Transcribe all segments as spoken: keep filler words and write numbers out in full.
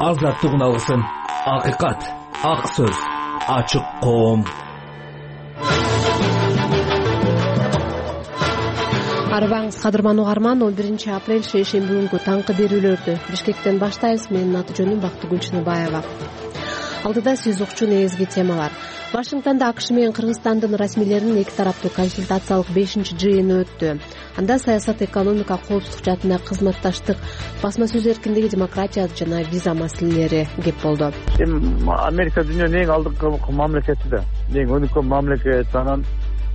азаттык үналысын, акыйкат, ак сөз, ачык коом. Арыбаңыз кадырман угарман, он биринчи апрель шейшемби күнгү таңкы берүүлөрдү Бишкектен баштайбыз. Менин аты жөнүм Бактыгүл Чыныбаева. Алдыда сиз укчу негизги темалар. Вашингтонда АКШ менен Кыргызстандын расмийлеринин эки тараптуу консультациялык бешинчи жыйыны өттү. Анда саясат, экономика, коопсуздук жаатындагы кызматташтык, басма сөз эркиндиги, демократия жана виза маселелери кеп болду. Америка дүйнөнүн эң алдыңкы мамлекети да, эң өнүккөн мамлекет. Анан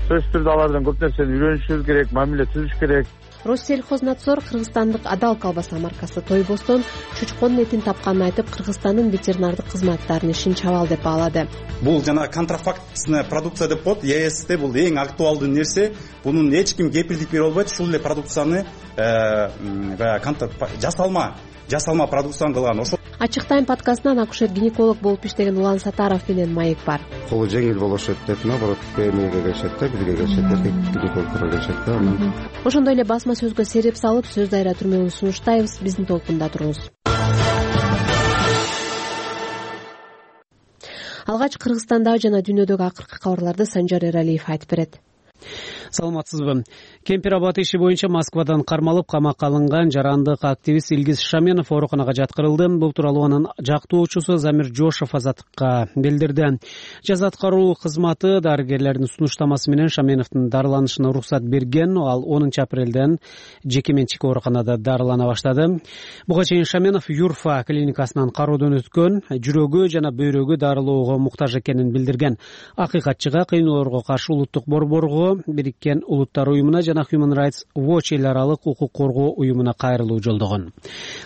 сөзсүз түрдө алардан көп нерсени үйрөнүшүбүз керек, мамиле түзүш керек. Россельхознадзор кыргызстандык Адал колбаса маркасы Тойбостон чучконун этин тапканын айтып, Кыргызстандын ветеринардык кызматтарынын ишин чабал деп баалады. Бул жана контрафактный продукция деп коет. ЕСте бул эң актуалдуу нерсе. Бунун эч ким кепилдик бере албайт. Ушул эле продукцияны жасалма, жасалма продукцияны кылган. Ошол Ачык тайм подкастынан акушер-гинеколог болуп иштеген Улан Сатаров менен Маек бар. Колу жеңил болушат деп, наоборот, эмнеге келишет да, бизге келишет, гинекологдорго келишет да. Ошондой эле басма сөзгө сереп салып, сөз дайра түрмөгүн сунуштайбыз. Биздин толкунда туруңуз. Алгач Кыргызстандагы жана дүйнөдөгү акыркы кабарларды Санжар Эралиев айтып берет. Саламатсызбы? Кемпир абад иши боюнча Москвадан кармалып камакка алынган жарандык активист Илгиз Шаменов ооруканага жаткырылды. Бул тууралуу анын жактоочусу Замир Жошов Азаттыкка билдирди. Жаза аткаруу кызматы дарыгерлердин сунуштамасы менен Шаменовдун дарыланышына уруксат берген. Ал онунчу апрелден жеке менчик ооруканада дарылана баштады. Буга чейин Шаменов Юрфа клиникасынан кароодон өткөн, жүрөгү жана бөйрөгү дарылоого муктаж экенин билдирген. Акыйкатчыга кыйноолорго каршы улуттук борборго, Бириккен Улуттар уюмуна жана Human Rights Watch эл аралык укук коргоо уюмуна кайрылуу жолдогон.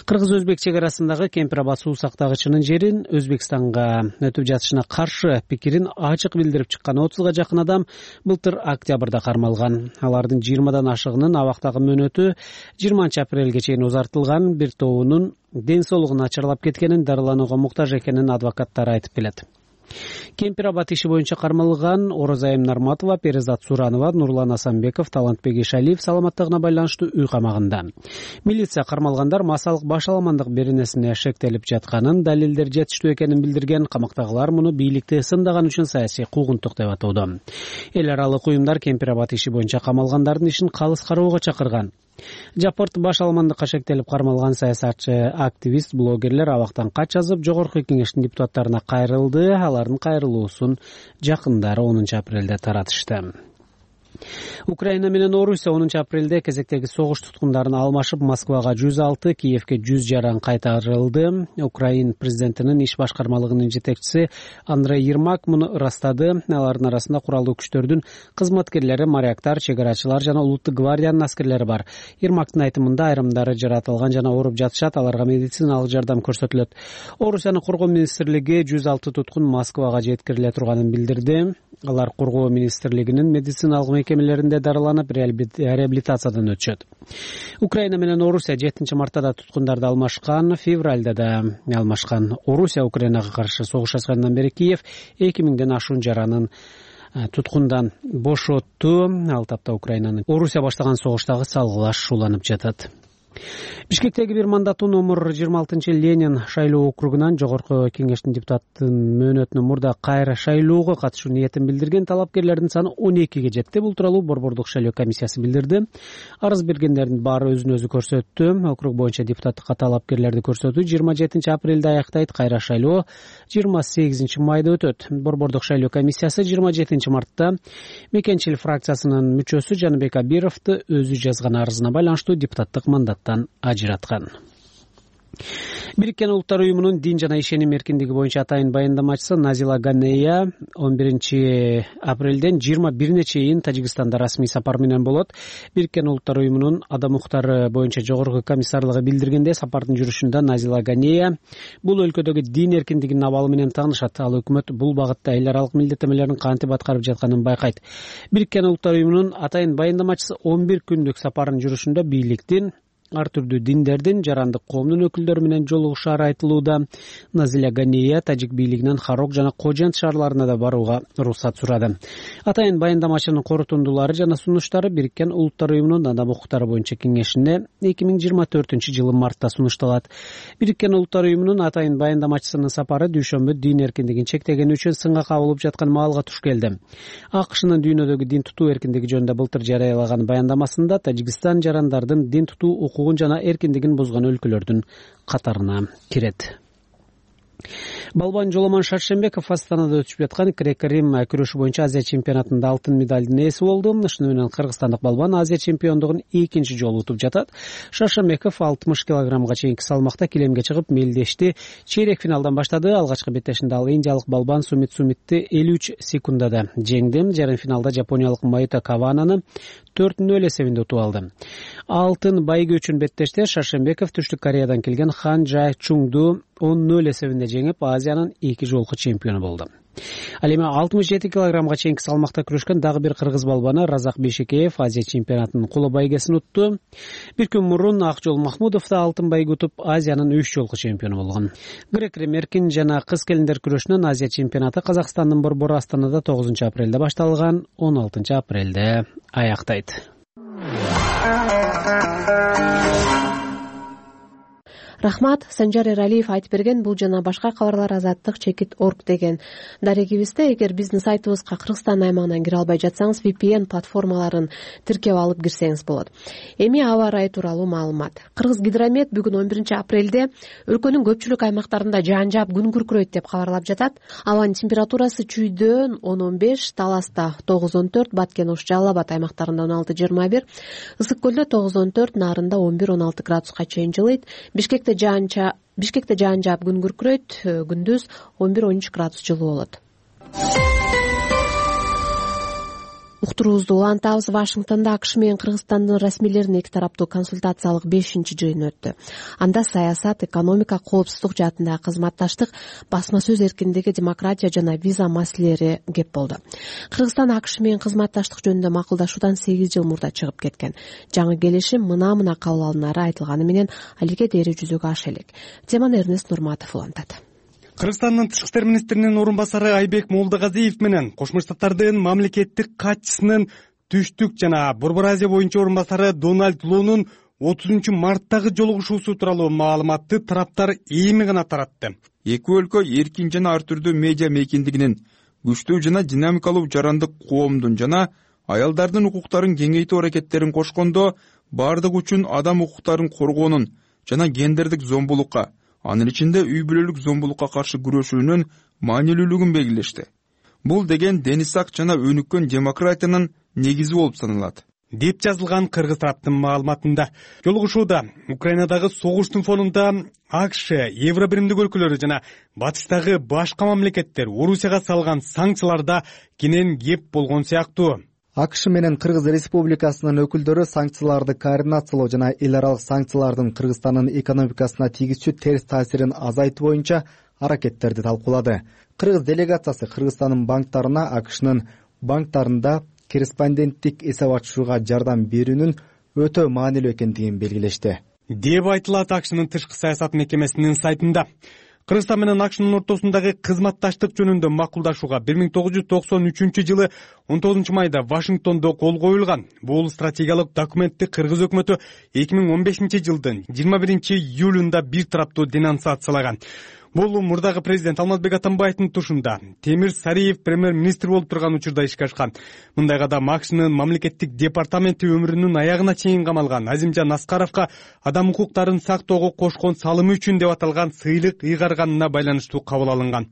Кыргыз-өзбек чек арасындагы Кемпир абад суу сактагычынын жерин Өзбекстанга өтүп жатышына каршы пикирин ачык билдирип чыккан отузга жакын адам былтыр октябрда кармалган. Алардын жыйырмадан ашыгынын абактагы мөөнөтү жыйырманчы апрелге чейин узартылган. Бир тобунун ден соолугун начарлап кеткенин, дарыланууга муктаж экенин адвокаттары айтып келет. Кемпир абад иши боюнча кармалган Орозайым Нарматова, Перизат Суранова, Нурлан Асанбеков, Талантбек Ишалиев саламаттыгына байланыштуу үй камагында. Милиция кармалгандар массалык башаламандык беренесине шектелип жатканын, далилдер жетиштүү экенин билдирген. Камактагылар муну бийликти сындаган үчүн саясий куугунтук деп атоодо. Эл аралык уюмдар Кемпир абад иши боюнча камалгандардын ишин калыс кароого чакырган. Жапырт башаламандыкка шектелип кармалган саясатчы, активист, блогерлер абактан кат жазып, жогорку кеңештин депутаттарына кайрылды. Алардын кайрылуусун жакындары онунчу апрелде таратышты. Украина менен Орусия онунчу апрелде кезектеги согуш туткундарын алмашып, Москвага жүз алты, Киевке жүз жаран кайтарылды. Украин президентинин иш башкармалыгынын жетекчиси Андрей Ермак муну ырастады. Алардын арасында куралдуу күчтөрдүн кызматкерлери, моряктар, чек арачылар жана улуттук гвардиянын аскерлери бар. Ермактын айтымында айрымдары жаратылган жана ооруп жатышат, аларга медициналык жардам көрсөтүлөт. Орусиянын коргоо министрлиги жүз алты туткун Москвага жеткириле турганын билдирди. Алар коргоо министрлигинин медициналык мекемелеринде дарыланып, реабилитациядан өтүшөт. Украина менен Орусия жетинчи мартта туткундарды алмашкан, февралда да алмашкан. Орусия Украинага каршы согуш ачкандан бери Киев эки миңден ашуун жаранын туткундан бошотту. Ал тапта Украинанын Орусия баштаган согуштагы салгылаш уланып жатат. Бишкектеги бир мандаттуу номер жыйырма алтынчы Ленин шайлоо округунан жогорку кеңештин депутаттын мөөнөтүнө мурда кайра шайлоого катышуу ниетин билдирген талапкерлердин саны он экиге жетти. Бул тууралуу борбордук шайлоо комиссиясы билдирди. Арыз бергендердин баары өзүн өзү көрсөттү. Округ боюнча депутаттыкка талапкерлерди көрсөтүү жыйырма жетинчи апрелде аяктайт. Кайра шайлоо жыйырма сегизинчи майда өтөт. Борбордук шайлоо комиссиясы жыйырма жетинчи мартта Мекенчил фракциясынын мүчөсү Жаныбек Абировду өзү жазган арызына байланыштуу депутаттык мандаттан ажыраткан. Бириккен Улуттар уюмунун дин жана ишеним эркиндиги боюнча атайын баяндамачысы Назила Ганея он биринчи апрелден жыйырма бирине чейин Тажикстанда расмий сапар менен болот. Бириккен Улуттар уюмунун адам укуктары боюнча жогорку комиссарлыгы билдиргенде, сапардын жүрүшүндө Назила Ганея бул өлкөдөгү дин эркиндигинин абалы менен таанышат. Ал өкмөт бул багытта эл аралык милдеттенмелерин кантип аткарып жатканын байкайт. Бириккен Улуттар уюмунун атайын баяндамачысы он бир күндүк сапардын жүрүшүндө бийликтин ар түрдүү диндердин, жарандык коомдун өкүлдөрү менен жолугушаары айтылууда. Назиля Ганея тажик бийлигинен Харок жана Кожент шаарларына да барууга уруксат сурады. Атайын баяндамачынын корутундулары жана сунуштары Бириккен Улуттар уюмунун адам укуктары боюнча кеңешине эки миң жыйырма төртүнчү жылы мартта сунушталат. Бириккен Улуттар уюмунун атайын баяндамачысынын сапары дүйшөмбү дин эркиндигин чектегени үчүн сынга кабылып жаткан маалга туш келди. АКШнын дүйнөдөгү дин тутуу эркиндиги жөнүндө былтыр жарыялаган баяндамасында Тажикстан жарандардын дин тутуу укугун жана эркиндигин бузган өлкөлөрдүн катарына кирет. Балбан Жоломон Шаршембеков Астанада өтүшүп жаткан греко-рим күрөшү боюнча Азия чемпионатында алтын медалдын ээси болду. Ушуну менен кыргызстандык балбан Азия чемпиондугун экинчи жолу утуп жатат. Шаршембеков алтымыш килограммга чейинки салмакта килемге чыгып мелдешти. Чейрек финалдан баштады. Алгачкы беттешинде ал индиялык балбан Сумит Сумитти элүү үч секундада жеңди. Жарым финалда жапониялык Майото Кавананы төрт нөл эсебинде утуп алды. Алтын байгы үчүн беттеште Шаршембеков Түштүк Кореядан келген Хан Жа Чуңду он нөл эсебинде жеңип, Азиянын эки жолку чемпиону болду. Ал эми алтымыш жети килограммга чейинки салмакта күрөшкөн дагы бир кыргыз балбаны Разак Бейшекеев Азия чемпионатынын куло байгесин утту. Бир күн мурун Акжол Махмудов да алтын байгы утуп, Азиянын үч жолку чемпиону болгон. Грек-рим эркин жана кыз келиндер күрөшүнүн Азия чемпионаты Казакстандын Борбор Астанада тогузунчу апрелде башталган, он алтынчы апрелде аяктайт. Рахмат. Санжар Эралиев айтып берген. Бул жана башка кабарлар азаттык чекит орг деген дарегибизде. Эгер биздин сайтыбызга Кыргызстан аймагынан кире албай жатсаңыз, ви пи эн платформаларын тиркеп алып кирсеңиз болот. Эми аба ырайы тууралуу маалымат. Кыргыз гидромет бүгүн он биринчи апрелде өлкөнүн көпчүлүк аймактарында жаан жаап күн күркүрөйт деп кабарлап жатат. Абанын температурасы Чүйдөн он он беш, Таласта тогуз он төрт, Баткен Ош, Жалал Абад аймактарында он алты жыйырма бир, Ысык көлдө тогуз он төрт, Нарында он бир он алты градуска чейин жылыйт. Бишкекте Жаанча Бишкекте жаан жаап күн күркүрөйт, күндүз он бир он үч градус жылуу болот. Уктуруубузду улантабыз. Вашингтонда АКШ менен Кыргызстандын расмийлеринин эки тараптуу консультациялык бешинчи жыйыны өттү. Анда саясат, экономика, коопсуздук жаатындагы кызматташтык, басма сөз эркиндиги, демократия жана виза маселелери кеп болду. Кыргызстан АКШ менен кызматташтык жөнүндө макулдашуудан сегиз жыл мурда чыгып кеткен. Жаңы келишим мына-мына кабыл алынары айтылганы менен алиге дээри жүзөгө аша элек. Теманы Эрнест Нурматов улантат. Кыргызстандын тышкы иштер министринин орун басары Айбек Молдогазиев менен Кошмо Штаттардын мамлекеттик катчысынын Түштүк жана Борбор Азия боюнча орун басары Дональд Лонун отузунчу марттагы жолугушуусу тууралуу маалыматты тараптар эми гана таратты. Эки өлкө эркин жана ар түрдүү медиа мейкиндигинин, күчтүү жана динамикалуу жарандык коомдун жана аялдардын укуктарын кеңейтүү аракеттерин кошкондо бардык үчүн адам укуктарын коргоонун жана гендердик зомбулукка, анын ичинде үй бүлөлүк зомбулукка каршы күрөшүүнүн маанилүүлүгүн белгилешти. Бул деген денисак жана өнүккөн демократиянын негизи болуп саналат, деп жазылган кыргыз тараптын маалыматында. Жолугушууда Украинадагы согуштун фонунда АКШ, Евробиримдик өлкөлөрү жана батыштагы башка мамлекеттер Орусияга салган санкцияларда кенен кеп болгон сыяктуу. АКШ менен Кыргыз Республикасынын өкүлдөрү санкцияларды координациялоо жана эл аралык санкциялардын Кыргызстандын экономикасына тийгизчү терс таасирин азайтуу боюнча аракеттерди талкуулады. Кыргыз делегациясы Кыргызстандын банктарына АКШнын банктарында корреспонденттик эсеп ачышууга жардам берүүнүн өтө маанилүү экендигин белгилешти, деп айтылат АКШнын тышкы саясат мекемесинин сайтында. Кыргызстан менен АКШнын ортосундагы кызматташтык жөнүндө макулдашууга бир миң тогуз жүз токсон үчүнчү жылы он тогузунчу майда Вашингтондо кол коюлган. Бул стратегиялык документти кыргыз өкмөтү эки миң он бешинчи жылдын жыйырма биринчи июлунда бир тараптуу денонсациялаган. Бул мурдагы президент Алмазбек Атамбаевдин тушунда Темир Сариев премьер-министр болуп турган учурда ишке ашкан. Мындай кадам АКШнын мамлекеттик департаменти өмүрүнүн аягына чейин камалган Азимжан Аскаровго адам укуктарын сактоого кошкон салымы үчүн деп аталган сыйлык ыйгарганына байланыштуу кабыл алынган.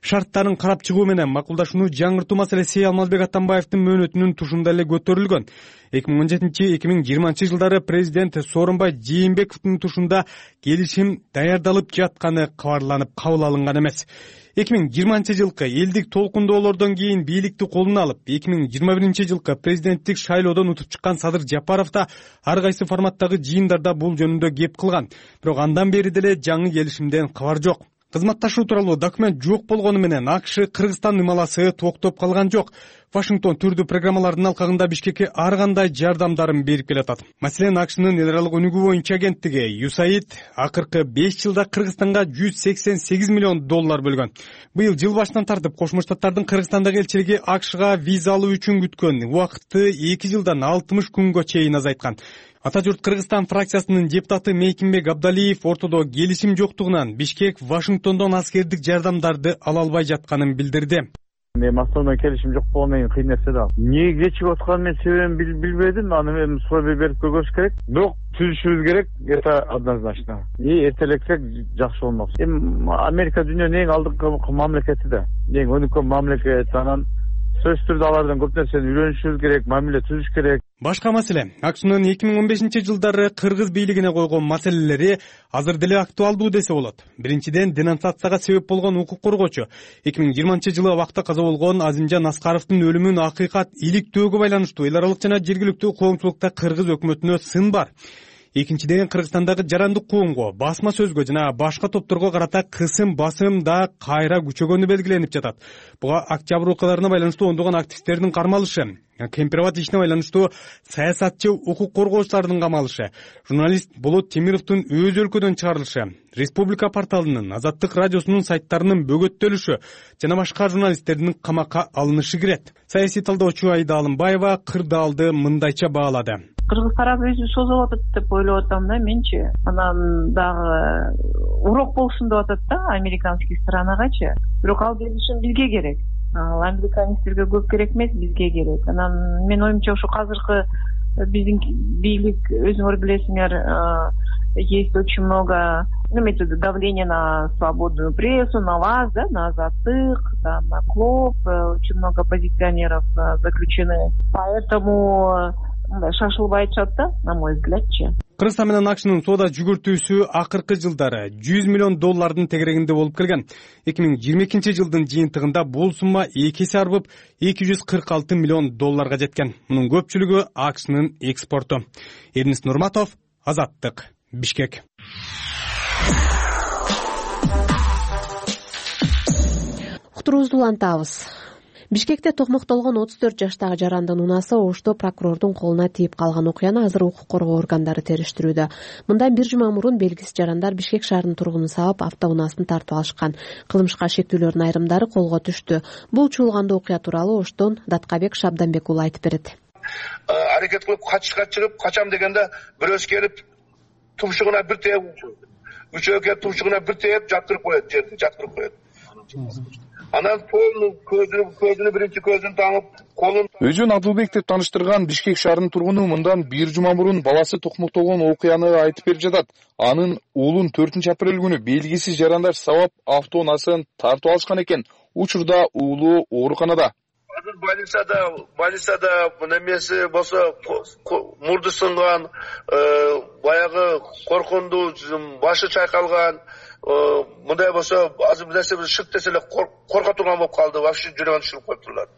Шарттарын карап чыгуу менен макулдашууну жаңыртуу маселеси Алмазбек Атамбаевдин мөөнөтүнүн тушунда эле көтөрүлгөн. эки миң он жетинчи — эки миң жыйырманчы жылдары президент Сооронбай Жээнбековдун тушунда келишим даярдалып жатканы кабарланып кабыл алынган эмес. эки миң жыйырманчы жылкы элдик толкундоолордон кийин бийликти колуна алып, эки миң жыйырма биринчи жылкы президенттик шайлоодон утуп чыккан Садыр Жапаров да ар кайсы форматтагы жыйындарда бул жөнүндө кеп кылган. Бирок андан бери деле жаңы келишимден кабар жок. кызматташуу тууралуу документ жок болгону менен АКШ Кыргызстан ымаласы токтоп калган жок. Вашингтон түрдүү программалардын алкагында Бишкекке ар кандай жардамдарын берип келатат. Маселен, АКШнын эл аралык өнүгүү боюнча агенттиги ю эс эй ай ди акыркы беш жылда Кыргызстанга жүз сексен сегиз миллион доллар бөлгөн. Быйыл жыл башынан тартып Кошмо Штаттардын Кыргызстандагы элчилиги АКШга виза алуу үчүн күткөн убакытты эки жылдан алтымыш күнгө чейин азайткан. Ата журт Кыргызстан фракциясынын депутаты Мейкимбек Абдалиев ортодо келишим жоктугунан Бишкек Вашингтондон аскердик жардамдарды ала албай жатканын билдирди. Эми основной келишим жок болгондон кийин кыйын нерсе да. Эмне кечигип атканын мен себебин билбедим. Аны мен суроо берип көргөзүш керек. Бирок түзүшүбүз керек. Это однозначно. И эртелексек жакшы болмок. Эми Америка дүйнөнүн эң алдыңкы мамлекети да. Эң өнүккөн мамлекет. Анан сөзсүз түрдө алардан көп нерсени үйрөнүшүбүз керек, мамиле түзүш керек. Башка маселе, АКШнын эки миң он бешинчи жылдары кыргыз бийлигине койгон маселелери азыр деле актуалдуу десе болот. Биринчиден, денонсацияга себеп болгон укук коргоочу эки миң жыйырманчы жылы абакта каза болгон Азимжан Аскаровдун өлүмүн акыйкат иликтөөгө байланыштуу эл аралык жана жергиликтүү коомчулукта кыргыз өкмөтүнө сын бар. Экинчиден, Кыргызстандагы жарандык коомго, басма сөзгө жана башка топторго карата кысым басым да кайра күчөгөнү белгиленип жатат. Буга октябрь окуяларына байланыштуу ондогон активисттердин кармалышы, Кемпирабад ишине байланыштуу саясатчы укук коргоочулардын камалышы, журналист Болот Темировдун өз өлкөдөн чыгарылышы, Республика порталынын, Азаттык радиосунун сайттарынын бөгөттөлүшү жана башка журналисттердин камакка алынышы кирет. Саясий талдоочу Айда Алымбаева кырдаалды мындайча баалады. Кыргыз тарап өзү созулуп атат деп ойлоп атам да менчи. Анан дагы урок болсун деп атат да американский сторонагачы. Бирок ал келишим бизге керек. Ал американецтерге көп керек эмес, бизге керек. Анан мен оюмча ушу азыркы биздин бийлик, өзүңөр билесиңер, есть очень много давления на свободную прессу, на вас, да, на Азаттык, там, на Клоп, очень много оппозиционеров заключены. Поэтому шашылбай атышат да, на мой взглядчы. Кыргызстан менен АКШнын соода жүгүртүүсү акыркы жылдары жүз миллион доллардын тегерегинде болуп келген. эки миң жыйырма экинчи жылдын жыйынтыгында бул сумма эки эсе арбып эки жүз кырк алты миллион долларга жеткен. Мунун көпчүлүгү АКШнын экспорту. Эрнис Нурматов, Азаттык, Бишкек. Уктуруубузду улантабыз. Бишкекте токмоктолгон отуз төрт жаштагы жарандын унасы Ошто прокурордун колуна тийип калган окуяны азыр укук коргоо органдары териштирүүдө. Мындан бир жума мурун белгисиз жарандар Бишкек шаарынын тургунун сабап автоунаасын тартып алышкан. Кылмышка шектүүлөрдүн айрымдары колго түштү. Бул чуулгандуу окуя тууралуу Оштон Даткабек Шабданбек уулу айтып берет. Аракет кылып качышка чыгып, качам дегенде бирөөсү келип тумшугуна бир тээп, үчөө келип тумшугуна бир тээп жаткырып коет, жерди жаткырып коет. Анан колун көзүнү көзүнү биринчи көзүн таңып, колун өзүн Адылбек деп тааныштырган Бишкек шаарынын тургуну мындан бир жума мурун баласы токмоктолгон окуяны айтып берип жатат. Анын уулун төртүнчү апрель күнү белгисиз жарандар сабап автоунаасын тартып алышкан экен. Учурда уулу ооруканада. Азыр больницада, больницада немеси болсо мурду сынган, баягы коркундуу, башы чайкалган, мындай болсо азыр нерсе шык десе эле корко турган болуп калды, вообще жүрөгүн түшүрүп коюптурлар.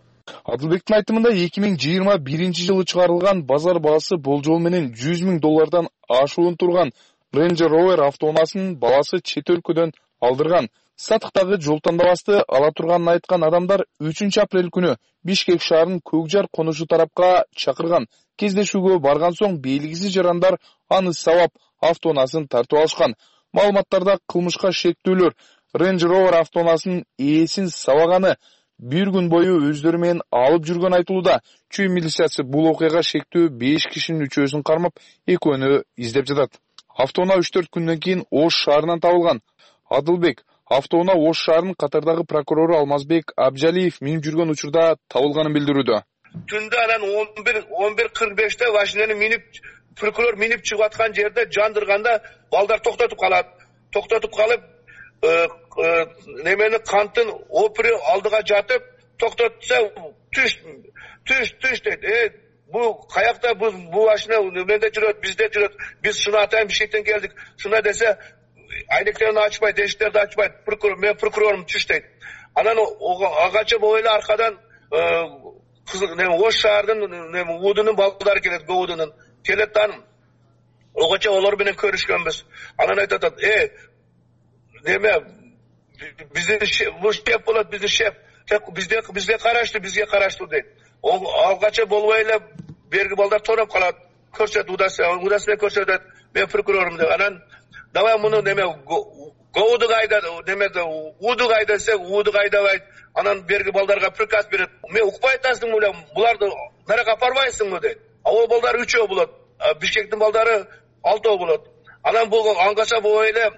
Адылбектин айтымында эки миң жыйырма биринчи жылы чыгарылган базар баасы болжол менен жүз миң доллардан ашуун турган Ranger Rover автоунаасын баласы чет өлкөдөн алдырган. Сатыктагы жол тандабасты ала турганын айткан адамдар үчүнчү апрель күнү Бишкек шаарынын Көкжар конушу тарапка чакырган. Кездешүүгө барган соң белгисиз жарандар аны сабап автоунаасын тартып алышкан. Маалыматтарда кылмышка шектүүлөр Ranger Rover автоунаасынын ээсин сабаганы бир күн бою өздөрү менен алып жүргөн айтылууда. Чүй милициясы бул окуяга шектүү беш кишинин үчөөсүн кармап, экөөнү издеп жатат. Автоунаа үч төрт күндөн кийин Ош шаарынан табылган. Адылбек автоунаа Ош шаарынын катардагы прокурору Алмазбек Абжалиев минип жүргөн учурда табылганын билдирүүдө. Түндө анан он бир кырк беште машинени минип прокурор минип чыгып аткан жерде жандырганда балдар токтотуп калат. Токтотуп калып, немени канттын опыры алдыга жатып, токтотса түш, түш, түш дейт. Э, бу каякта бу бу машина менде жүрөт, бизде жүрөт. Биз шуну атайын Бишкектен келдик. Шуна десе, айнектерин ачпайт, эшиктерди ачпайт. Прокурор, мен прокурорум түш дейт. Анан агачы бойлы аркадан Ош шаардын Уудунун балдары келет, Уудунун келет таным. Огача олар менен көрүшкөнбүз. Анан айтат, э, неме биздин бул шеф болот, биздин шеф бизде бизге караштуу бизге караштуу дейт. Алгача болбой эле берги балдар тоноп калат. Көрсөт удасы удасына көрсөтөт, мен прокурорум деп. Анан давай муну неме гоуду кайда неме уду кайда десе уду кайдабайт. Анан берги балдарга приказ берет. Мен укпай атасың беле, буларды нарага апарбайсыңбы дейт. Ал балдар үчөө болот, Бишкектин балдары алтоо болот. Анан бул аңгача болбой эле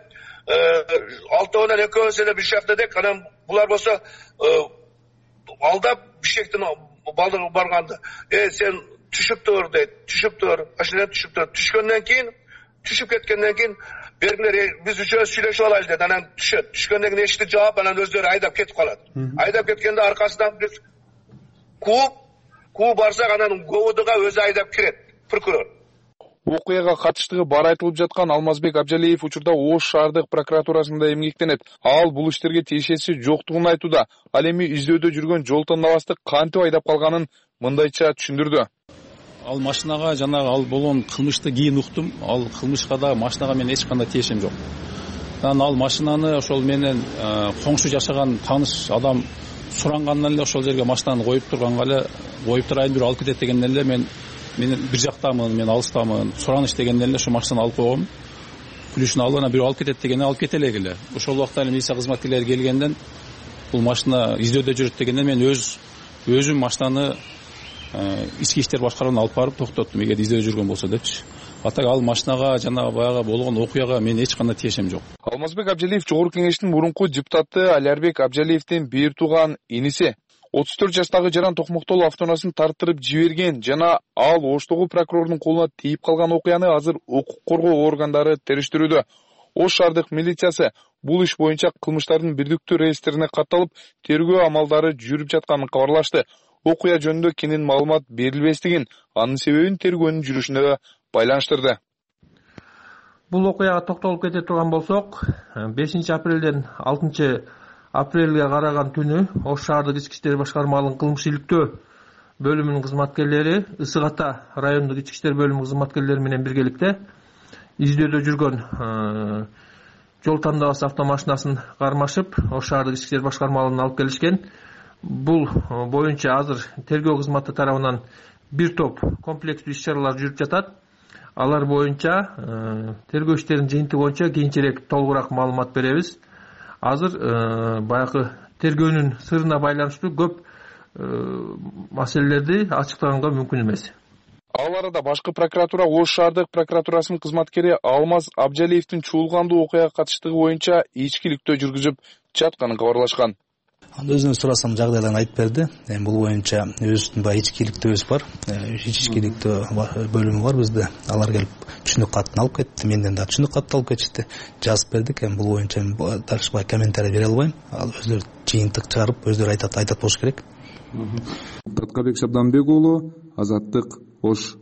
алтоонан экөөбүз эле бир жакта дек. Анан булар болсо алдап Бишкектин балдары барганды. Э сен түшүп тур дейт. Түшүп тур. Ашынан түшүп тур. Түшкөндөн кийин, түшүп кеткенден кийин бергилер биз үчөөбүз сүйлөшүп алайлы дейт. Анан түшөт. Түшкөндөн кийин эшикти жаап, анан өздөрү айдап кетип калат. Айдап кеткенде аркасынан биз кууп, кууп барсак анан говудуга өзү айдап кирет прокурор. Окуяга катыштыгы бар айтылып жаткан Алмазбек Абжалиев учурда Ош шаардык прокуратурасында эмгектенет. Ал бул иштерге тиешеси жоктугун айтууда. Ал эми издөөдө жүргөн жол тандабасты кантип айдап калганын мындайча түшүндүрдү. Ал машинага жанагы ал болгон кылмышты кийин уктум. Ал кылмышка да машинага мен эч кандай тиешем жок. Анан ал машинаны ошол менен коңшу жашаган тааныш адам сурангандан эле ошол жерге машинаны коюп турганга эле коюп турайын бир алып кетет дегенден эле мен мен бир жактамын, мен алыстамын. Сураныш дегенден эле ошо машинаны алып койгом. Күлүшүн алып анан бирөө алып кетет дегенде алып кете эле. Ошол убакта эле милиция кызматкерлери келгенден бул машина издөөдө жүрөт дегенден мен өз өзүм машинаны ички иштер башкарууна алып барып токтоттум, эгер издөөдө жүргөн болсо депчи. Атак ал машинага жана баягы болгон окуяга мен эч кандай тиешем жок. Алмазбек Абжалиев Жогорку Кеңештин мурунку депутаты Алярбек Абжалиевдин бир тууган иниси. отуз төрт жаштагы Жаран Токмоктол автонаасын тарттырып жиберген жана ал Оштогу прокурордун колуна тийип калган окуяны азыр укук коргоо органдары териштирүүдө. Ош шаардык милициясы бул иш боюнча кылмыштардын бирдиктүү реестрине катталып, тергөө амалдары жүрүп жатканын кабарлашты. Окуя жөнүндө кенен маалымат берилбестигин, анын себебин тергөөнүн жүрүшүнө байланыштырды. Бул окуяга токтолуп кете турган болсок, бешинчи апрелден алтынчы апрелге караган түнү Ош шаардык ички иштер башкармалыгынын кылмыш иликтөө бөлүмүнүн кызматкерлери Ысык Ата райондук ички иштер бөлүмү кызматкерлери менен биргеликте издөөдө жүргөн жол тандабасы автомашинасын кармашып Ош шаардык ички иштер башкармалыгына алып келишкен. Бул боюнча азыр тергөө кызматы тарабынан бир топ комплекстүү иш-чаралар жүрүп жатат. Алар боюнча тергөө иштеринин жыйынтыгы боюнча кийинчерээк толугураак маалымат беребиз. Азыр баягы тергөөнүн сырына байланыштуу көп маселелерди ачыктаганга мүмкүн эмес. Ал арада башкы прокуратура Ош шаардык прокуратурасынын кызматкери Алмаз Абжалиевдин чуулгандуу окуяга катыштыгы боюнча ичкиликтөө жүргүзүп жатканын кабарлашкан. Өзүнөн сурасам жагдайларын айтып берди. Эми бул боюнча өзүбүздүн баягы ичкиликтөөбүз бар. Ичкиликтөө бөлүмү бар бизде. Алар келип түшүнүк катын алып кетти. Менден да түшүнүк катты алып кетишти. Жазып бердик. Эми бул боюнча дальше бай комментарий бере албайм. Ал өздөрү жыйынтык чыгарып, өздөрү айтат, айтат болуш керек. Таткабек Шабданбек уулу, Азаттык, Ош.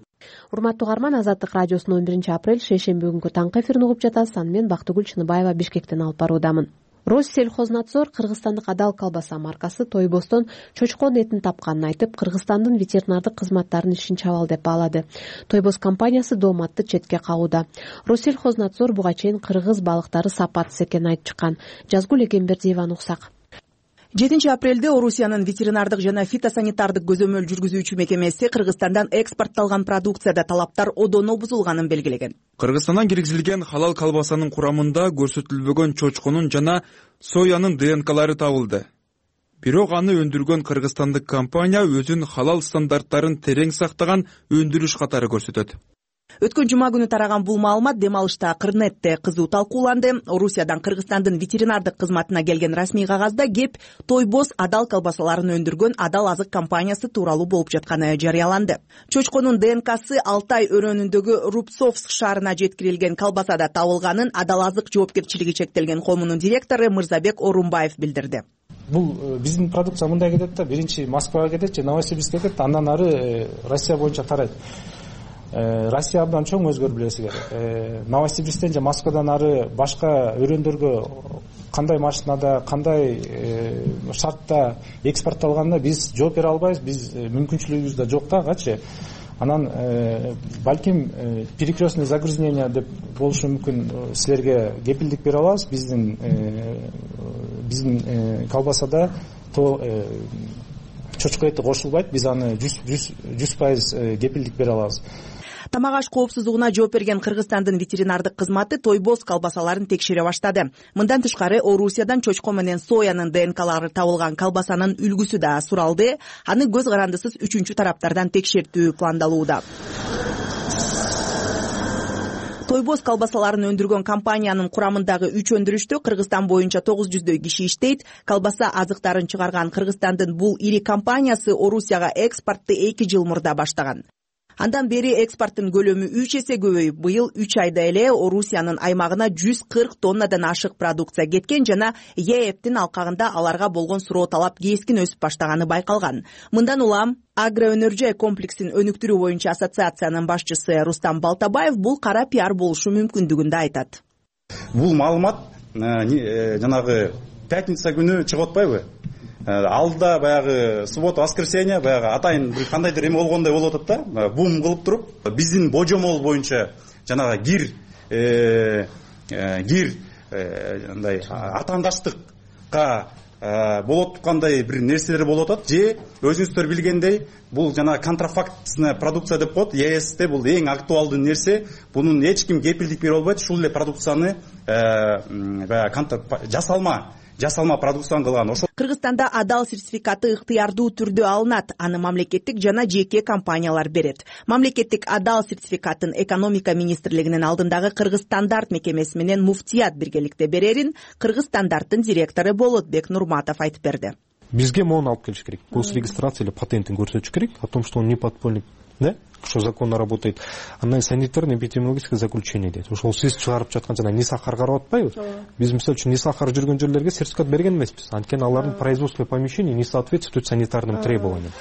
Урматтуу угарман, Азаттык радиосунун он биринчи апрель шейшемби күнгү таңкы эфирин угуп жатасыз. Аны мен Бактыгүл Чыныбаева Бишкектен алып баруудамын. Россельхознадзор кыргызстандык Адал колбаса маркасы Тойбостон чочкон этин тапканын айтып, Кыргызстандын ветеринардык кызматтарынын ишин чабал деп баалады. Тойбос компаниясы дооматты четке кагууда. Россельхознадзор буга чейин кыргыз балыктары сапатсыз экенин айтып чыккан. Жазгүл Эгембердиеваны уксак. жетинчи апрелде Орусиянын ветеринардык жана фитосанитардык көзөмөл жүргүзүүчү мекемеси Кыргызстандан экспортталган продукцияда талаптар одоно бузулганын белгилеген. Кыргызстандан киргизилген халал колбасанын курамында көрсөтүлбөгөн чочконун жана соянын ДНКлары табылды. Бирок аны өндүргөн кыргызстандык компания өзүнүн халал стандарттарын терең сактаган өндүрүш катары көрсөтөт. Өткөн жума күнү тараган бул маалымат дем алышта Кырнетте кызуу талкууланды. Орусиядан Кыргызстандын ветеринардык кызматына келген расмий кагазда кеп Тойбос Адал колбасаларын өндүргөн Адал азык компаниясы тууралуу болуп жатканы жарыяланды. Чочконун ДНКсы Алтай өрөөнүндөгү Рубцовск шаарына жеткирилген колбасада табылганын Адал азык жоопкерчилиги чектелген коомунун директору Мырзабек Орунбаев билдирди. Бул биздин продукция мындай кетет да, биринчи Москвага кетет же Новосибирск кетет, андан ары Россия боюнча тарайт. Россия абдан чоң, өзгөр билесиңер. Новосибирсктен же Москвадан ары башка өрөөндөргө кандай машинада, кандай шартта экспортталганына биз жооп бере албайбыз, биз мүмкүнчүлүгүбүз да жок да агачы. Анан балким перекрестный загрязнение деп болушу мүмкүн, силерге кепилдик бере алабыз. Биздин биздин колбасада то чочко эти кошулбайт, биз аны жүз пайыз кепилдик бере алабыз. Тамак аш коопсуздугуна жооп берген Кыргызстандын ветеринардык кызматы тойбоз колбасаларын текшере баштады. Мындан тышкары Орусиядан чочко менен соянын ДНКлары табылган колбасанын үлгүсү да суралды. Аны көз карандысыз үчүнчү тараптардан текшертүү пландалууда. Тойбоз колбасаларын өндүргөн компаниянын курамындагы үч өндүрүштө Кыргызстан боюнча тогуз жүздөй киши иштейт. Колбаса азыктарын чыгарган Кыргызстандын бул ири компаниясы Орусияга экспортту эки жыл мурда баштаган. Андан бери экспорттун көлөмү үч эсе көбөйүп, быйыл үч айда эле Орусиянын аймагына жүз кырк тоннадан ашык продукция кеткен жана ЕЭПтин алкагында аларга болгон суроо талап кескин өсүп баштаганы байкалган. Мындан улам агроөнөр-жай комплексин өнүктүрүү боюнча ассоциациянын башчысы Рустам Балтабаев бул кара пиар болушу мүмкүндүгүн да айтат. Бул маалымат жанагы пятница күнү чыгып атпайбы? Алда баягы суббота, воскресенье баягы атайын бир кандайдыр эме болгондой болуп атат да, бум кылып туруп, биздин божомол боюнча жанагы гир гир андай атаандаштыкка болот тургандай бир нерселер болуп атат. Же өзүңүздөр билгендей, бул жанагы контрафактная продукция деп коет. ЕСте бул эң актуалдуу нерсе. Бунун эч ким кепилдик бере албайт. Ушул эле продукцияны баягы жасалма жасалма продукцияны кылган. Ошол Кыргызстанда адал сертификаты ыктыярдуу түрдө алынат. Аны мамлекеттик жана жеке компаниялар берет. Мамлекеттик адал сертификатын экономика министрлигинин алдындагы Кыргыз стандарт мекемеси менен муфтият биргеликте берерин Кыргыз стандарттын директору Болотбек Нурматов айтып берди. Бизге мону алып келиш керек. Госрегистрация или патентин көрсөтүш керек о том, что он не подпольник, да? Что законно работает. Андан санитарно-эпидемиологическое заключение дейт. Ошол сиз чыгарып жаткан жана ни сахар карап атпайбы? Биз мисалы үчүн ни сахар жүргөн жерлерге сертификат берген эмеспиз. Анткени алардын производственный помещения не соответствует санитарным требованиям.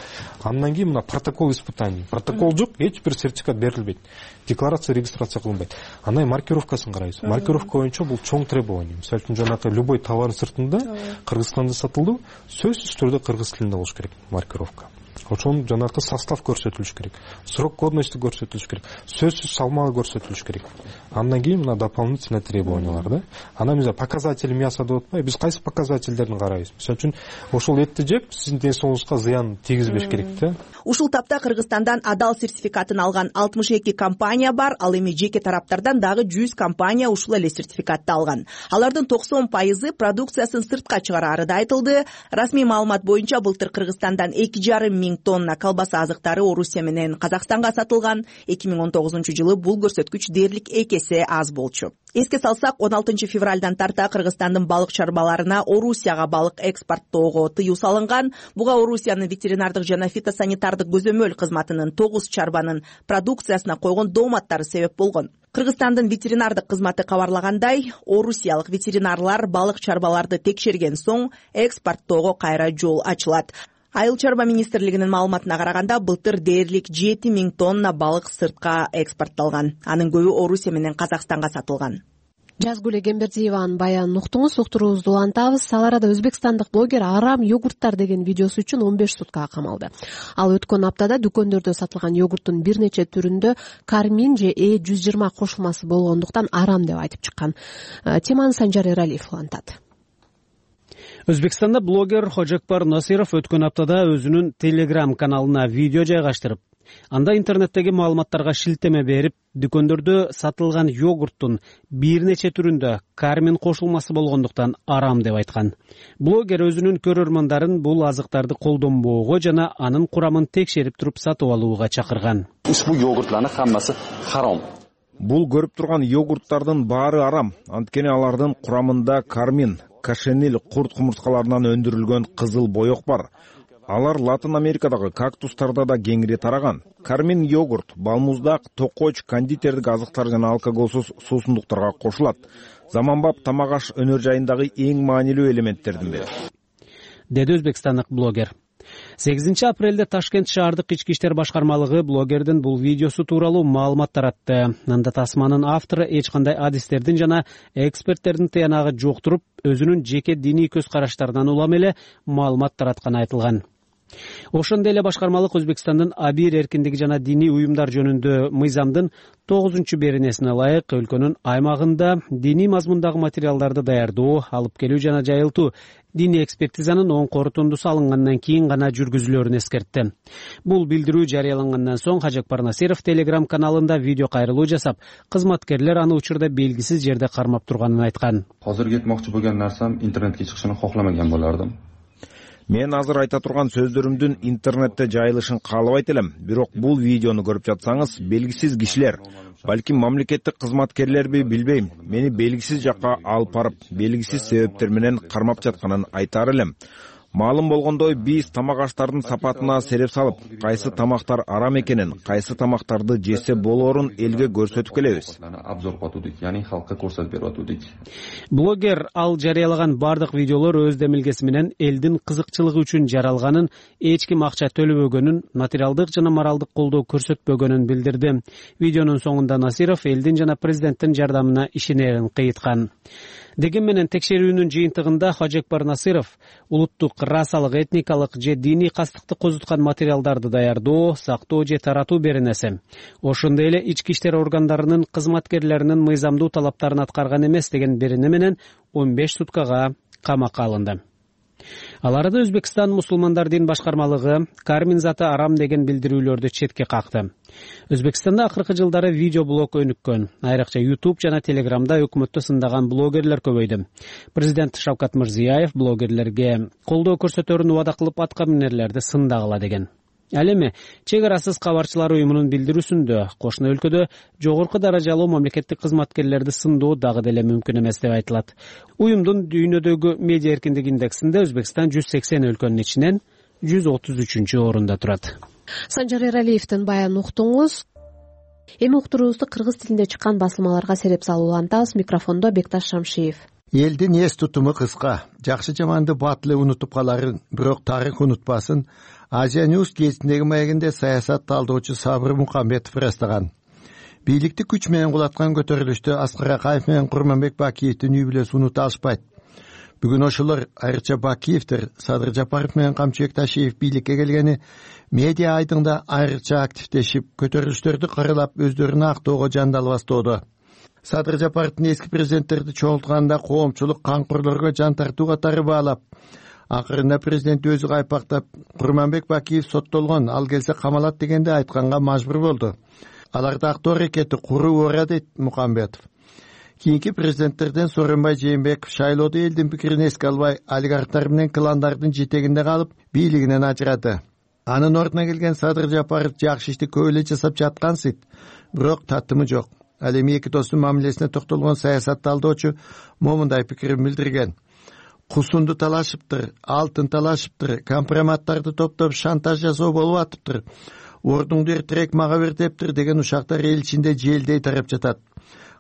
Андан кийин мына протокол испытаний. Протокол жок, эч бир сертификат берилбейт. Декларация, регистрация кылынбайт. Андан маркировкасын карайбыз. Маркировка боюнча бул чоң требование. Мисалы үчүн жанагы любой товардын сыртында Кыргызстанда сатылды, сөзсүз түрдө кыргыз тилинде болуш керек маркировка. Ошонун жанагы состав көрсөтүлүш керек. Срок годности көрсөтүлүш керек. Сөзсүз салмагы көрсөтүлүш керек. Андан кийин мына дополнительный требованиялар да. Анан биз показатели мяса деп атпайбы? Биз кайсы показательдерин карайбыз? Мисалы үчүн ошол этти жеп сиздин ден соолугуңузга зыян тийгизбеш керек да. Ушул тапта Кыргызстандан адал сертификатын алган алтымыш эки компания бар, ал эми жеке тараптардан дагы жүз компания ушул эле сертификатты алган. Алардын токсон пайызы продукциясын сыртка чыгарары да айтылды. Расмий маалымат боюнча былтыр Кыргызстандан эки жарым миң тонна колбаса азыктары Орусия менен Казакстанга сатылган. эки миң он тогузунчу жылы бул көрсөткүч дээрлик эки эсе аз болчу. Эске салсак, он алтынчы февралдан тарта Кыргызстандын балык чарбаларына Орусияга балык экспорттоого тыюу салынган. Буга Орусиянын ветеринардык жана фитосанитардык көзөмөл кызматынын тогуз чарбанын продукциясына койгон дооматтары себеп болгон. Кыргызстандын ветеринардык кызматы кабарлагандай, орусиялык ветеринарлар балык чарбаларды текшерген соң экспорттоого кайра жол ачылат. Айыл чарба министрлигинин маалыматына караганда, былтыр дээрлик жети миң тонна балык сыртка экспортталган. Анын көбү Орусия менен Казакстанга сатылган. Жазгүл Эгембердиеванын баянын уктуңуз, уктуруубузду улантабыз. Ал арада өзбекстандык блогер арам йогурттар деген видеосу үчүн он беш суткага камалды. Ал өткөн аптада дүкөндөрдө сатылган йогурттун бир нече түрүндө кармин же э жүз жыйырма кошулмасы болгондуктан арам деп айтып чыккан. Теманы Санжар Эралиев улантат. Өзбекстанда блогер Хожекпар Насиров өткөн аптада өзүнүн Telegram каналына видео жайгаштырып, анда интернеттеги маалыматтарга шилтеме берип, дүкөндөрдө сатылган йогурттун бир нече түрүндө кармин кошулмасы болгондуктан арам деп айткан. Блогер өзүнүн көрөрмандарын бул азыктарды колдонбоого жана анын курамын текшерип туруп сатып алууга чакырган. Ушул йогуртлардын хаммасы харам. Бул көрүп турган йогурттардын баары арам. Анткени алардын курамында кармин, кашенил курт кумурскаларынан өндүрүлгөн кызыл боек бар. Алар Латын Америкадагы кактустарда да кеңири тараган. Кармин йогурт, балмуздак, токоч, кондитердик азыктар жана алкоголсуз суусундуктарга кошулат. Заманбап тамак аш өнөр жайындагы эң маанилүү элементтердин бири, деди өзбекстандык блогер. сегизинчи апрелде Ташкент шаардык ички иштер башкармалыгы блогердин бул видеосу тууралуу маалымат таратты. Анда тасманын автору эч кандай адистердин жана эксперттердин тыянагы жок туруп, өзүнүн жеке диний көз караштарынан улам эле маалымат таратканы айтылган. ошондой эле башкармалык Өзбекстандын абийир эркиндиги жана диний уюмдар жөнүндө мыйзамдын тогузунчу беренесине ылайык өлкөнүн аймагында диний мазмундагы материалдарды даярдоо, алып келүү жана жайылтуу диний экспертизанын оң корутундусу алынгандан кийин гана жүргүзүлөрүн эскертти. Бул билдирүү жарыялангандан соң Хажекпар Насиров Telegram каналында видео кайрылуу жасап, кызматкерлер аны учурда белгисиз жерде кармап турганын айткан. Азыр кетмокчу болгон нарсам интернетке чыгышын кокламаган болардым. Мен азыр айта турган сөздөрүмдүн интернетте жайылышын каалабайт элем. Бирок бул видеону көрүп жатсаңыз, белгисиз кишилер, балким мамлекеттик кызматкерлерби билбейм, мени белгисиз жакка алып барып, белгисиз себептер менен кармап жатканын айтаар элем. Маалым болгондой, биз тамак аштардын сапатына сереп салып, кайсы тамактар арам экенин, кайсы тамактарды жесе болоорун элге көрсөтүп келебиз. Обзор кылдык, яны халкка көрсөтүп берип атуудык. Блогер ал жарыялаган бардык видеолор өз демилгеси менен элдин кызыкчылыгы үчүн жаралганын, эч ким акча төлөбөгөнүн, материалдык жана моралдык колдоо көрсөтпөгөнүн билдирди. Видеонун соңунда Насиров элдин жана президенттин жардамына ишенерин кыйткан. Деген менен текшерүүнүн жыйынтыгында Хажекпар Насиров улуттук, расалык, этникалык же диний кастыкты козуткан материалдарды даярдоо, сактоо же таратуу беренеси, ошондой эле ички иштер органдарынын кызматкерлеринин мыйзамдуу талаптарын аткарган эмес деген берене менен он беш суткага камакка алынды. Ал арада Өзбекстан мусулмандар дин башкармалыгы кармин заты арам деген билдирүүлөрдү четке какты. Өзбекстанда акыркы жылдары видеоблог өнүккөн. Айрыкча YouTube жана Telegramда өкмөттү сындаган блогерлер көбөйдү. Президент Шавкат Мирзиёев блогерлерге колдоо көрсөтөрүн убада кылып атка минерлерди сындагыла деген. Ал эми чек арасыз кабарчылар уюмунун билдирүүсүндө кошуна өлкөдө жогорку даражалуу мамлекеттик кызматкерлерди сындоо дагы деле мүмкүн эмес деп айтылат. Уюмдун дүйнөдөгү медиа эркиндик индексинде Өзбекстан жүз сексен өлкөнүн ичинен жүз отуз үчүнчү орунда турат. Санжар Эралиевдин баянын уктуңуз. Эми уктуруубузду кыргыз тилинде чыккан басылмаларга сереп салуулантабыз. Микрофондо Бекташ Шамшиев. Элдин эс тутуму кыска. Жакшы жаманды батылы унутуп каларын, бирок тарых унутпасын. Азия Ньюс гезитиндеги маегинде саясат талдоочу Сабыр Мукамбетов ырастаган. Бийликти күч менен кулаткан көтөрүлүштө Аскар Акаев менен Курманбек Бакиевдин үй бүлөсү унута алышпайт. Бүгүн ошолор, айрыкча Бакиевдер, Садыр Жапаров менен Камчыбек Ташиев бийликке келгени медиа айдыңда айрыкча активдешип, көтөрүлүштөрдү каралап, өздөрүнү актоого жандал бастоодо. Садыр Жапаровдун эски президенттерди чогултканда коомчулук канкорлорго жан тартуу катары баалап, акырында президент өзү кайпактап, Курманбек Бакиев соттолгон, ал келсе камалат дегенде айтканга мажбур болду. Аларды актоо аракети куруу ора дейт Мукамбетов. Кийинки президенттерден Сооронбай Жээнбеков шайлоодо элдин пикирин эске албай, олигархтар менен кландардын жетегинде калып, бийлигинен ажырады. Анын ордуна келген Садыр Жапаров жакшы ишти көп эле жасап жаткансыйт, бирок татымы жок. Ал эми эки достун мамилесине токтолгон саясат талдоочу момундай пикирин билдирген. Кусунду талашыптыр, алтын талашыптыр, компроматтарды топтоп шантаж жасоо болуп атыптыр. Ордуңду эртерээк мага бер дептир деген ушактар эл ичинде желдей тарап жатат.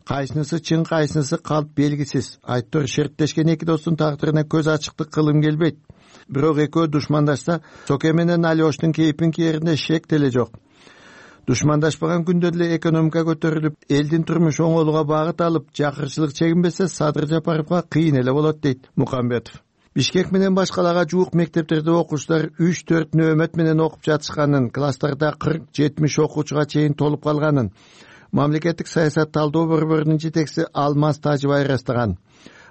Кайсынысы чын, кайсынысы калп белгисиз. Айттор шерттешкен эки достун тагдырына көз ачыктык кылым келбейт. Бирок экөө душмандашса, Соке менен Алиоштун кейпин кээринде шек деле жок. Душмандашпаган күндө эле экономика көтөрүлүп, элдин турмушу оңолууга багыт алып, жакырчылык чегинбесе Садыр Жапаровго кыйын эле болот дейт Мукамбетов. Бишкек менен башкаларга жуук мектептерде окуучулар үч төрт нөөмөт менен окуп жатышканын, класстарда кырк жетимиш окуучуга чейин толуп калганын мамлекеттик саясат талдоо борборунун жетекчиси Алмаз Тажыбай ырастаган.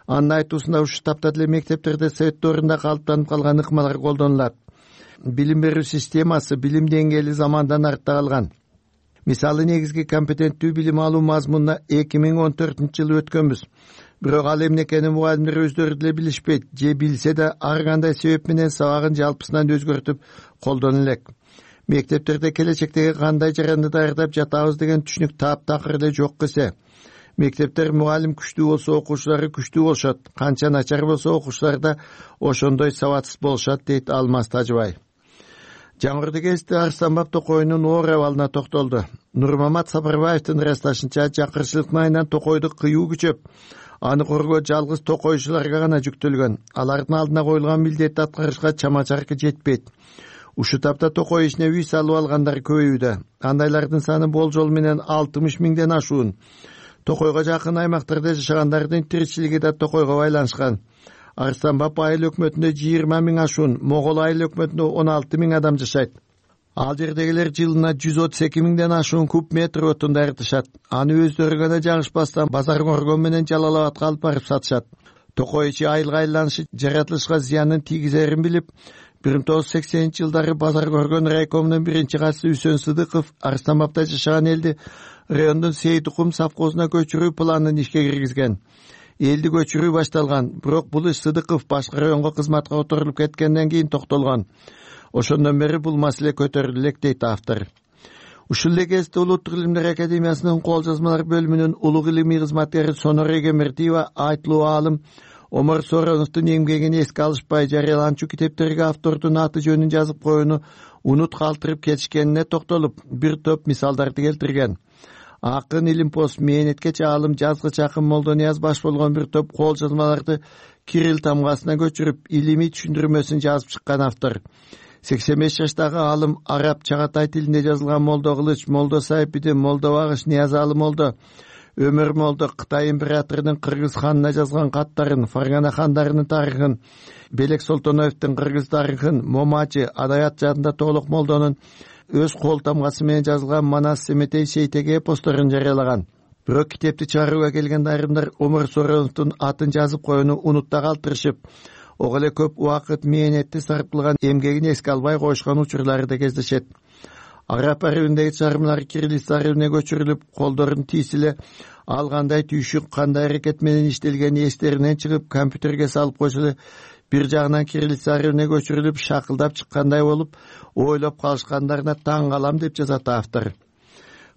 Анын айтуусунда ушул таптар эле мектептерде совет доорунда калыптанып калган ыкмалар колдонулат. Билим берүү системасы, билим деңгээли замандан артта калган. Мисалы, негизги компетенттүү билим алуу мазмунуна эки миң он төртүнчү жылы өткөнбүз. Бирок ал эмне экенин мугалимдер өздөрү деле билишпейт, же билсе да ар кандай себеп менен сабагын жалпысынан өзгөртүп колдоно элек. Мектептерде келечектеги кандай жаранды даярдап жатабыз деген түшүнүк таптакыр эле жок кесе. Мектептер мугалим күчтүү болсо, окуучулары күчтүү болушат. Канча начар болсо, окуучулар да ошондой сабатсыз болушат, дейт Алмаз Тажыбай. Жаңырды кезде Арстанбап Токойнун оор абалына токтолду. Нурмамат Сапарбаевдин ырасташынча, жакырчылыктын айынан Токойду кыюу күчөп, аны коргоо жалгыз токойчуларга гана жүктөлгөн. Алардын алдына коюлган милдетти аткарышка чама-чаркы жетпейт. Ушул тапта Токой ишине үй салып алгандар көбөйүүдө. Андайлардын саны болжол менен алтымыш миңден ашуун. Токойго жакын аймактарда жашагандардын тиричилиги да Токойго байланышкан. Арыстанбап айыл өкмөтүндө жыйырма миң ашуун, Могол айыл өкмөтүндө он алты миң адам жашайт. Ал жердегилер жылына жүз отуз эки миңден ашуун куб метр отун дайыртышат. Аны өздөрү гана жагышпастан базар коргон менен Жалал Абадка алып барып сатышат. Токой ичи айылга айланышы жаратылышка зыянын тийгизерин билип, бир миң тогуз жүз сексенинчи жылдары базар коргон райкомунун биринчи катчысы Үсөн Сыдыков Арыстанбапта жашаган элди райондун Сейитукум совхозуна көчүрүү планын ишке киргизген. Элди көчүрүү башталган, бирок бул иш Сыдыков башка районго кызматка которулуп кеткенден кийин токтолгон. Ошондон бери бул маселе көтөрүлдү элек дейт автор. Ушул эле кезде Улуттук илимдер академиясынын кол жазмалар бөлүмүнүн улуг илимий кызматкери Сонор Эгембердиева айтлуу аалым Омар Сороновдун эмгегин эске алышпай жарыяланчу китептерге автордун аты жөнүн жазып коюуну унут калтырып кетишкенине токтолуп, бир топ мисалдарды келтирген. Акын, илимпоз, мээнеткеч аалым, жазгыч Акын Молдонияз баш болгон бир топ кол жазмаларды Кирилл тамгасына көчүрүп, илимий түшүндүрмөсүн жазып чыккан автор. сексен беш жаштагы аалым араб, чагатай тилинде жазылган Молдо Кылыч, Молдо Сайпидин, Молдо Багыш, Ниязалы Молдо, Өмөр Молдо Кытай императорунун Кыргыз ханына жазган каттарын, Фаргана хандарынын тарыхын, Белек Солтоноевдун Кыргыз тарыхын, Момачы, Адаят жадында Тоолок Молдонун өз кол тамгасы менен жазылган Манас Семетей Сейтеге эпосторун жарыялаган. Бирок китепти чыгарууга келген айрымдар Омар Сороновдун атын жазып коюуну унутта калтырышып, ого эле көп убакыт мээнетти сарпталган эмгегин эске албай коюшкан учурлары да кездешет. Араб арабиндеги чыгармалар кириллиц арабине көчүрүлүп, колдорун тийсиле ал кандай түйшүк, кандай аракет менен иштелгени эстеринен чыгып, компьютерге салып койсо бир жагынан кириллиц арабине көчүрүлүп, шакылдап чыккандай болуп, ойлоп калышкандарына таң калам деп жазат автор.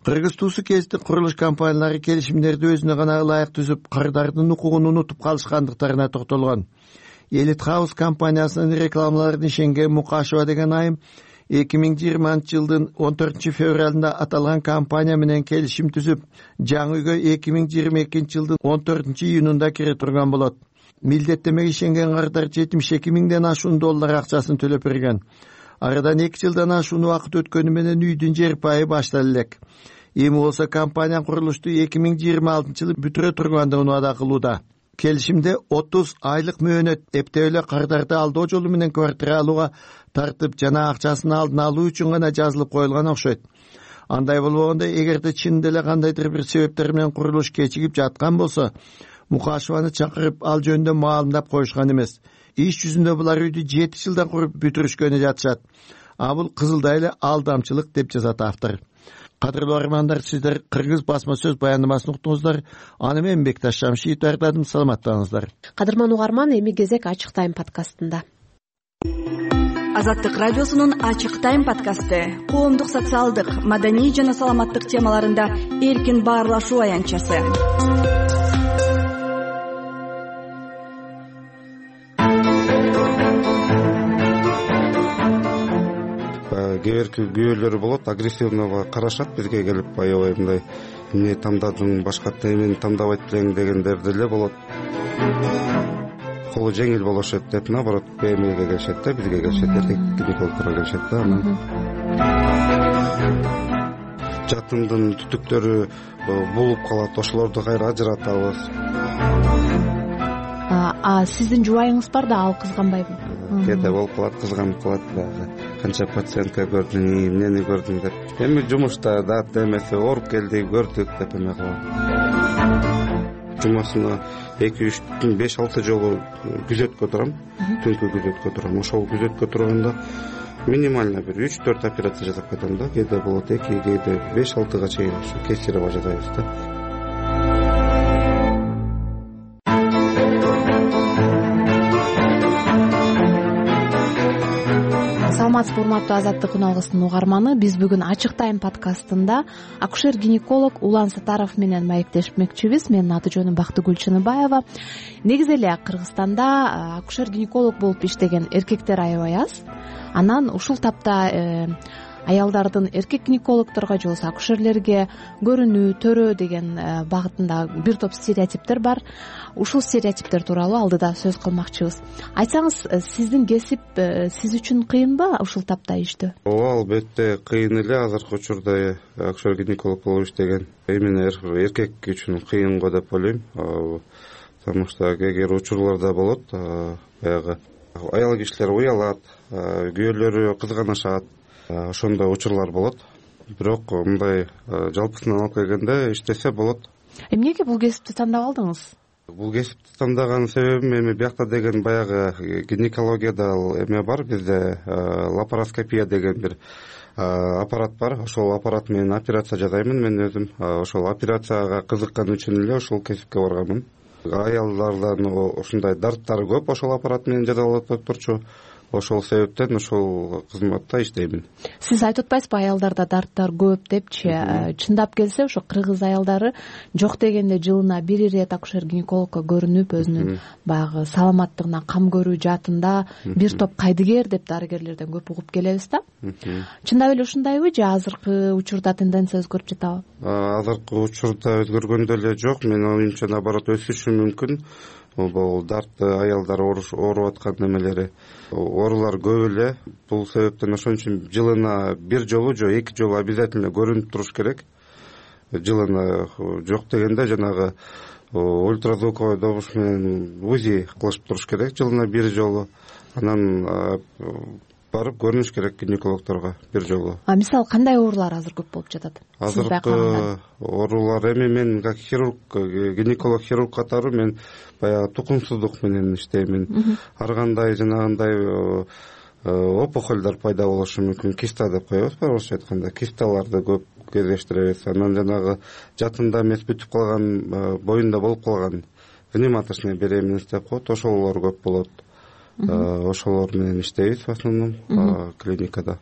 Кыргыз туусу кездик курулуш компаниялары келишимдерди өзүнө гана ылайык түзүп, кырдардын укугун унутуп калышкандыктарына токтолгон. Элит Хаус компаниясынын рекламаларын ишенген Мукашева деген айым эки миң жыйырманчы жылдын он төртүнчү февралында аталган компания менен келишим түзүп, жаңы үйгө эки миң жыйырма экинчи жылдын он төртүнчү июнунда кире турган болот. Милдеттемеге ишенген кардар жетимиш эки миңден ашуун доллар акчасын төлөп берген. Арадан эки жылдан ашуун убакыт өткөнү менен үйдүн жер пайы башталды элек. Эми болсо компания курулушту эки миң жыйырма алтынчы жылы бүтүрө тургандыгын убада кылууда. Келишимде отуз айлык мөөнөт эптеп эле кардарды алдоо жолу менен квартира алууга тартып, жана акчасын алдын алуу үчүн гана жазылып коюлган окшойт. Андай болбогондо, эгерде чынында эле кандайдыр бир себептер менен курулуш кечигип жаткан болсо, Мукашеваны чакырып ал жөнүндө маалымдап коюшкан эмес. Иш жүзүндө булар үйдү жети жылдан куруп бүтүрүшкөнү жатышат. А бул кызылдай эле алдамчылык деп жазат автор. Кадырлуу армандар, сиздер Кыргыз басма сөз баяндамасын уктуңуздар. Аны мен Бекташ Шамшиев даярдадым. Саламаттаңыздар. Кадырман угарман, эми кезек Ачык тайм подкастында. Азаттык радиосунун Ачык тайм подкасты коомдук, социалдык, маданий жана саламаттык темаларында эркин баарлашуу аянтчасы. Кээ бир күбөлөр болот, агрессивно карашат бизге келип, аябай мындай эмне тандадың, башкача эмени тандабайт белең дегендер деле болот. Колу жеңил болушат деп, наоборот, бемиге келишет да, бизге келишет, гинекологторго келишет да. Жатындын түтүктөрү булуп калат, ошолорду кайра ажыратабыз. А сиздин жубайыңыз бар да, ал кызганбайбы? Кээде болуп калат, кызганып калат дагы. Канча пациентка көрдүң, эмнени көрдүң деп. Эми жумушта да демесе ооруп келди, көрдүк деп эме кылат. Жумасына эки үч беш алты жолу күзөткө турам, түнкү күзөткө турам. Ошол күзөткө турганда минимально бир үч төрт операция жасап кетем да. Кээде болот эки, кээде беш алтыга чейин ушу кесарево жасайбыз да. Саламатсызбы, урматтуу Азаттык күн алгысынын угарманы. Биз бүгүн Ачык тайм подкастында акушер-гинеколог Улан Сатаров менен маектешмекчибиз. Менин аты жөнүм Бактыгүл Чыныбаева. Негизи эле Кыргызстанда акушер-гинеколог болуп иштеген эркектер аябай аз. Анан ушул тапта аялдардын эркек гинекологторго же болбосо акушерлерге көрүнүү, төрөө деген багытында бир топ стереотиптер бар. Ушул стереотиптер тууралуу алдыда сөз кылмакчыбыз. Айтсаңыз, сиздин кесип сиз үчүн кыйынбы ушул тапта иштөө? Ооба, албетте кыйын эле. Азыркы учурда акушер гинеколог болуп иштеген именно эркек үчүн кыйын го деп ойлойм. потому что эгер учурларда болот, баягы аял кишилер уялат, күйөөлөрү кызганышат, ошондой учурлар болот. Бирок мындай жалпысынан алып келгенде иштесе болот. Эмнеге бул кесипти тандап алдыңыз? Бул кесипти тандаган себебим эми биякта деген баягы гинекологияда эме бар, бизде лапароскопия деген бир аппарат бар. Ошол аппарат менен операция жасаймын мен өзүм. Ошол операцияга кызыккан үчүн эле ошол кесипке барганмын. Аялдардан ушундай дарттары көп ошол аппарат менен жасалып турчу. Ошол себептен ошол кызматта иштеймин. Сиз айтып атпайсызбы, аялдарда дарттар көп депчи? Чындап келсе, ошо кыргыз аялдары жок дегенде жылына бир ирет акушер-гинекологко көрүнүп, өзүнүн баягы саламаттыгына кам көрүү жаатында бир топ кайдыгер деп дарыгерлерден көп угуп келебиз да. Чындап эле ушундайбы же азыркы учурда тенденция өзгөрүп жатабы? Азыркы учурда өзгөргөн деле жок. Менин оюмча наоборот өсүшү мүмкүн. Бул дартты аялдар ооруп аткан немелери, оорулар көп эле. Бул себептен ошон үчүн жылына бир жолу же эки жолу обязательно көрүнүп туруш керек. Жылына жок дегенде жанагы ультразвуковой добуш менен УЗИ кылышып туруш керек жылына бир жолу. Анан барып көрүнүш керек гинекологторго бир жолу. А мисалы кандай оорулар азыр көп болуп жатат? Азыркы оорулар эми мен как хирург, гинеколог хирург катары мен баягы тукумсуздук менен иштеймин. Ар кандай жанагындай опухолдор пайда болушу мүмкүн. Киста деп коебуз, орусча айтканда. Кисталарды көп кездештиребиз. Анан жанагы жатында эмес бүтүп калган, боюнда болуп калган внематочный беременность деп коет, ошолор көп болот. Ошолор менен иштейбиз в основном клиникада.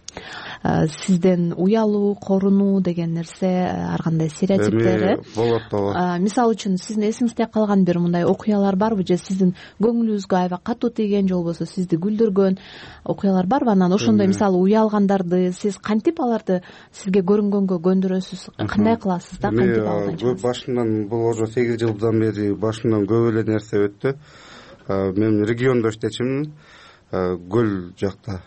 Сизден уялуу, корунуу деген нерсе, ар кандай стереотиптер болот да. Мисалы үчүн сиздин эсиңизде калган бир мындай окуялар барбы, же сиздин көңүлүңүзгө аябай катуу тийген, же болбосо сизди күлдүргөн окуялар барбы? Анан ошондой мисалы уялгандарды сиз кантип аларды сизге көрүнгөнгө көндүрөсүз? Кандай кыласыз да, кантип алганчы? Башынан бул уже сегиз жылдан бери башынан көп эле нерсе өттү. Мен региондо иштечимин, Көл жакта,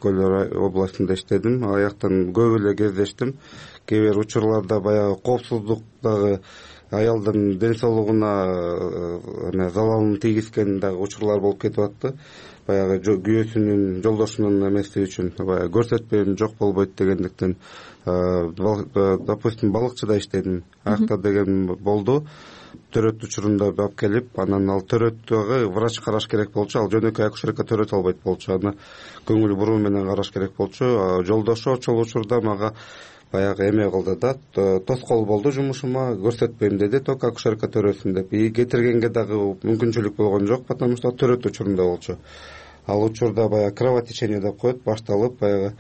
Көл областында иштедим. Аяктан көп эле кездештим. Кээ бир учурларда баягы коопсуздуктагы аялдын ден соолугуна залалын тийгизген дагы учурлар болуп кетип атты. Баягы күйөөсүнүн, жолдошунун эмеси үчүн баягы көрсөтпөйм, жок болбойт дегендиктен, допустим, балыкчыда иштедим. Аякта деген болду. Төрөт учурунда алып келип, анан ал төрөттөгү врач караш керек болчу. Ал жөнөкөй акушерка төрөт албайт болчу. Аны көңүл буруу менен караш керек болчу. Жолдошу ошол учурда мага баягы эме кылды да, тоскоол болду жумушума, көрсөтпөйм деди, только акушерка төрөсүн деп. И кетиргенге дагы мүмкүнчүлүк болгон жок, потому что төрөт учурунда болчу. Ал учурда баягы кровотечение деп коет, башталып, баягы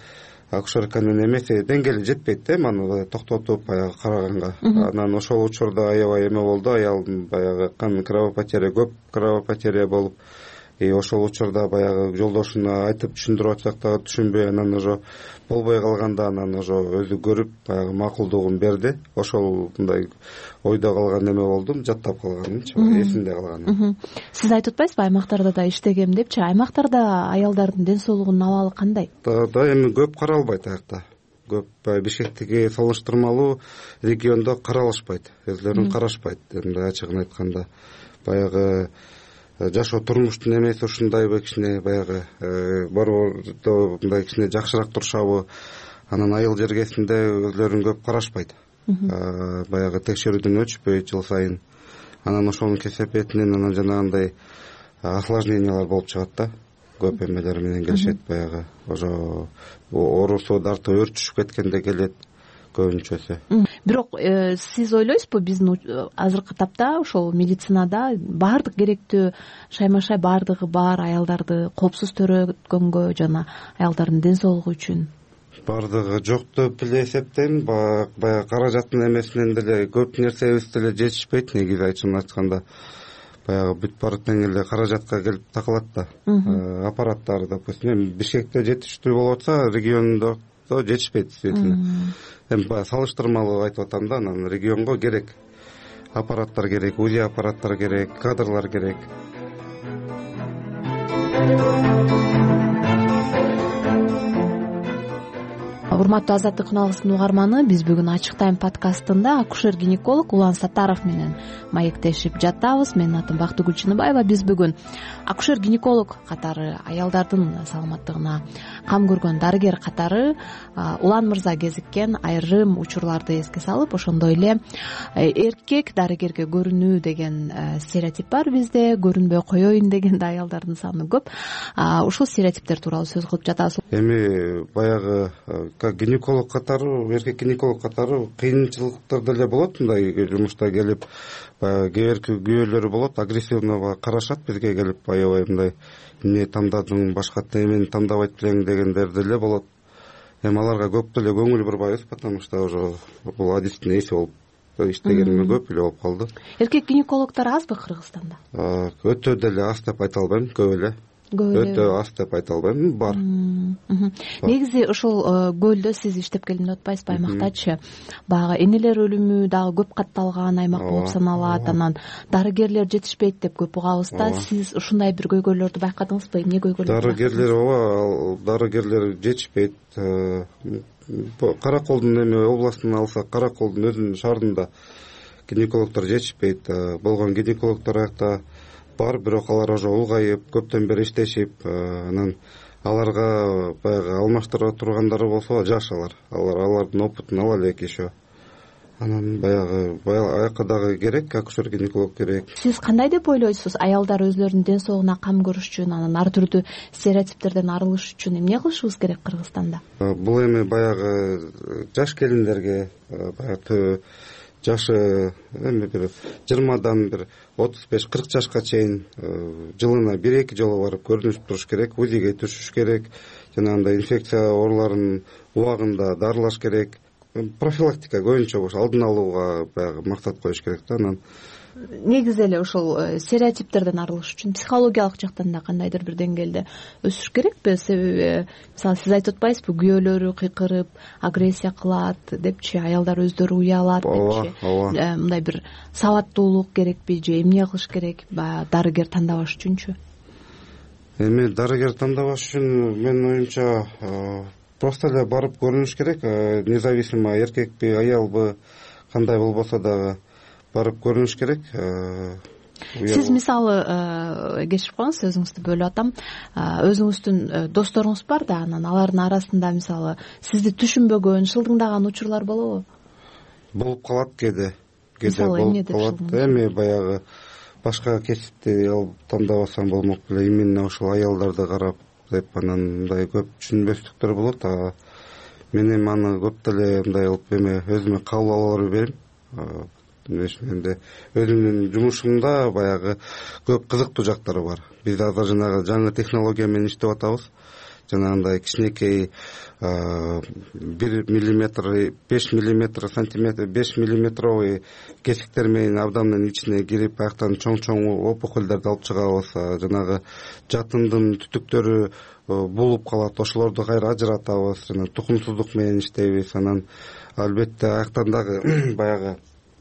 акушерканын эмеси деңгээли жетпейт да, маны токтотуп баягы караганга. Анан ошол учурда аябай эме болду, аялдын баягы кан кровопотеря, көп кровопотеря болуп, и ошол учурда баягы жолдошуна айтып түшүндүрүп атсак дагы түшүнбөй, анан уже болбой калганда анан уже өзү көрүп баягы макулдугун берди. Ошол мындай ойдо калган эме болдум, жаттап калганымчы, эсимде калган. Сиз айтып атпайсызбы, аймактарда да иштегем депчи? Аймактарда аялдардын ден соолугунун абалы кандай? Да, эми көп каралбайт аякта. Көп Бишкектиги салыштырмалуу региондо каралышпайт, өзлөрүн карашпайт. Эми ачыгын айтканда, баягы жашоо турмуштун эмеси ушундайбы, кичине баягы борбордо мындай кичине жакшыраак турушабы, анан айыл жергесинде өзлөрүн көп карашпайт. Баягы текшерүүдөн өтүшпөйт жыл сайын. Анан ошонун кесепетинен анан жанагындай осложнениялар болуп чыгат да. Көп эмелер менен келишет, баягы ошо оорусу дарты өрчүшүп кеткенде келет көбүнчөсү. Бирок сиз ойлойсузбу, биздин азыркы тапта ошол медицинада баардык керектүү шайма-шай баардыгы бар аялдарды коопсуз төрөткөнгө жана аялдардын ден соолугу үчүн? Баардыгы жок деп эле эсептейм. Баягы каражаттын эмесинен деле көп нерсебиз деле жетишпейт, негизи айтчын айтканда. Баягы бүт баардык эле каражатка келип такылат да. Аппараттар, допустим, Бишкекте жетиштүү болуп атса, региондо жетишпейт действительно. Эми баягы салыштырмалуу айтып атам да, анан регионго керек аппараттар керек, УЗИ аппараттар керек, кадрлар керек. урматтуу Азаттык күналыгынын угарманы, биз бүгүн Ачык тайм подкастында акушер гинеколог Улан Саттаров менен маектешип жатабыз. Менин атым Бактыгүл Чыныбаева. Биз бүгүн акушер гинеколог катары, аялдардын саламаттыгына кам көргөн дарыгер катары Улан мырза кезиккен айрым учурларды эске салып, ошондой эле эркек дарыгерге көрүнүү деген стереотип бар бизде, көрүнбөй коеюн деген да аялдардын саны көп. Ушул стереотиптер тууралуу сөз кылып жатабыз. Эми баягы гинеколог катары, эркек гинеколог катары кыйынчылыктар деле болот. Мындай жумушта келип баягы кээ бирки күйөөлөрү болот, агрессивно карашат бизге келип, аябай мындай эмне тандадың, башка эмени тандабайт белең дегендер деле болот. Эми аларга көп деле көңүл бурбайбыз, потому что уже бул адистин эси болуп иштегениме көп эле болуп калды. Эркек гинекологдор азбы Кыргызстанда? Өтө деле аз деп айта албайм, көп эле. Өтө аз деп айта албайм, бар. Негизи ушул көлдө сиз иштеп келдим деп атпайсызбы, аймактачы? Баягы энелер өлүмү дагы көп катталган аймак болуп саналат, анан дарыгерлер жетишпейт деп көп угабыз да. Сиз ушундай бир көйгөйлөрдү байкадыңызбы? Эмне көйгөйлөр? Дарыгерлер, ооба, дарыгерлер жетишпейт. Караколдун эми областын алсак, Караколдун өзүнүн шаарында гинекологдор жетишпейт. Болгон гинекологдор аякта бар, бирок алар уже улгайып, көптөн бери иштешип, анан аларга баягы алмаштыра тургандары болсо жаш алар. Алар алардын опытын ала элек еще. Анан баягы аякка дагы керек, акушер гинеколог керек. Сиз кандай деп ойлойсуз? Аялдар өзлөрүнүн ден соолугуна кам көрүш үчүн, анан ар түрдүү стереотиптерден арылыш үчүн эмне кылышыбыз керек Кыргызстанда? Бул эми баягы жаш келиндерге, баягы жашы эми бир жыйырмадан бир отуз беш кырк жашка чейин жылына бир эки жолу барып көрүнүп туруш керек, УЗИге түшүш керек, жанагындай инфекция ооруларын убагында дарылаш керек. Профилактика көбүнчө ошо алдын алууга баягы максат коюш керек да. Анан негизи эле ушул стереотиптерден арылыш үчүн психологиялык жактан да кандайдыр бир деңгээлде өсүш керекпи? Себеби мисалы сиз айтып атпайсызбы, күйөөлөрү кыйкырып агрессия кылат депчи, аялдар өздөрү уялат депчи. Мындай бир сабаттуулук керекпи же эмне кылыш керек дарыгер тандабаш үчүнчү? Эми дарыгер тандабаш үчүн менин оюмча просто эле барып көрүнүш керек, независимо эркекпи, аялбы, кандай болбосо дагы барып көрүнүш керек. Сиз мисалы кечирип коюңуз, сөзүңүздү бөлүп атам. Өзүңүздүн досторуңуз бар да, анан алардын арасында мисалы сизди түшүнбөгөн, шылдыңдаган учурлар болобу? Болуп калат кээде. Кээде болуп калат. Эми баягы башка кесипти тандабасам болмок беле, именно ошол аялдарды карап деп анан мындай көп түшүнбөстүктөр болот. Мен эми аны көп деле мындай кылып эме өзүмө кабыл ала бербейм. Менде өзүмдүн жумушумда баягы көп кызыктуу жактары бар. Биз азыр жанагы жаңы технология менен иштеп атабыз. Жанагындай кичинекей бир миллиметр, беш миллиметр, сантиметр, беш миллиметровый кесиктер менен абдомдун ичине кирип, аяктан чоң-чоң опухольдерди алып чыгабыз. Жанагы жатындын түтүктөрү булуп калат, ошолорду кайра ажыратабыз, жана тукумсуздук менен иштейбиз. Анан албетте аяктан дагы баягы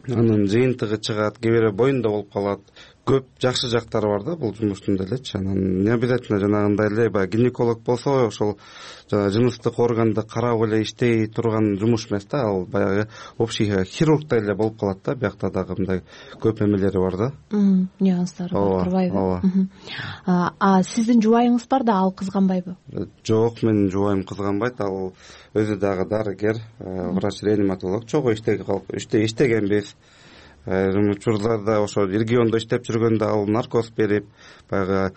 анын жыйынтыгы чыгат, кээ бирөө боюнда болуп калат. Көп жакшы жактары бар да бул жумуштун делечи. Анан не обязательно жанагындай эле баягы гинеколог болсо ошол жана жыныстык органды карап эле иштей турган жумуш эмес да, ал баягы общий хирургдай эле болуп калат да. Биякта дагы мындай көп эмелери бар да. Нюанстары бар, турбайбы? А сиздин жубайыңыз бар да, ал кызганбайбы? Жок, менин жубайым кызганбайт. Ал өзү дагы дарыгер, врач-реаниматолог. Чогуу иштегенбиз. Айрым учурларда ошо региондо иштеп жүргөндө ал наркоз берип, баягы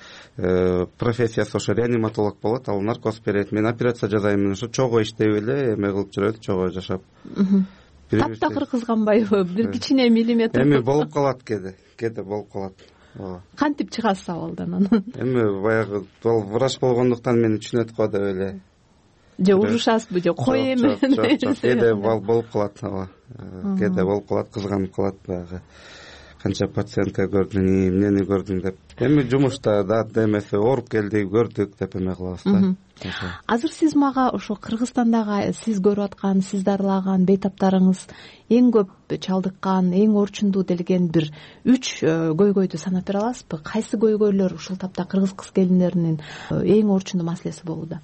профессиясы ошо реаниматолог болот, ал наркоз берет. Мен операция жасайм, ошо чогуу иштеп эле эме кылып жүрөбүз, чогуу жашап. Таптакыр кызганбайбы? Бир кичине миллиметр. Эми болуп калат кээде, кээде болуп калат. Кантип чыгасыз абалдан анан? Эми баягы ал врач болгондуктан мени түшүнөт го деп эле. Же урушасызбы, же кой эме? Кээде болуп калат, ооба. Кээде болуп калат, кызганып калат баягы. Канча пациентка көрдүң, эмнени көрдүң деп. Эми жумушта да демесе ооруп келди, көрдүк деп эме кылабыз да. Азыр сиз мага ошо Кыргызстандагы сиз көрүп аткан, сиз дарылаган бейтаптарыңыз эң көп чалдыккан, эң орчундуу делген бир үч көйгөйдү санап бере аласызбы? Кайсы көйгөйлөр ушул тапта кыргыз кыз келиндеринин эң орчундуу маселеси болууда?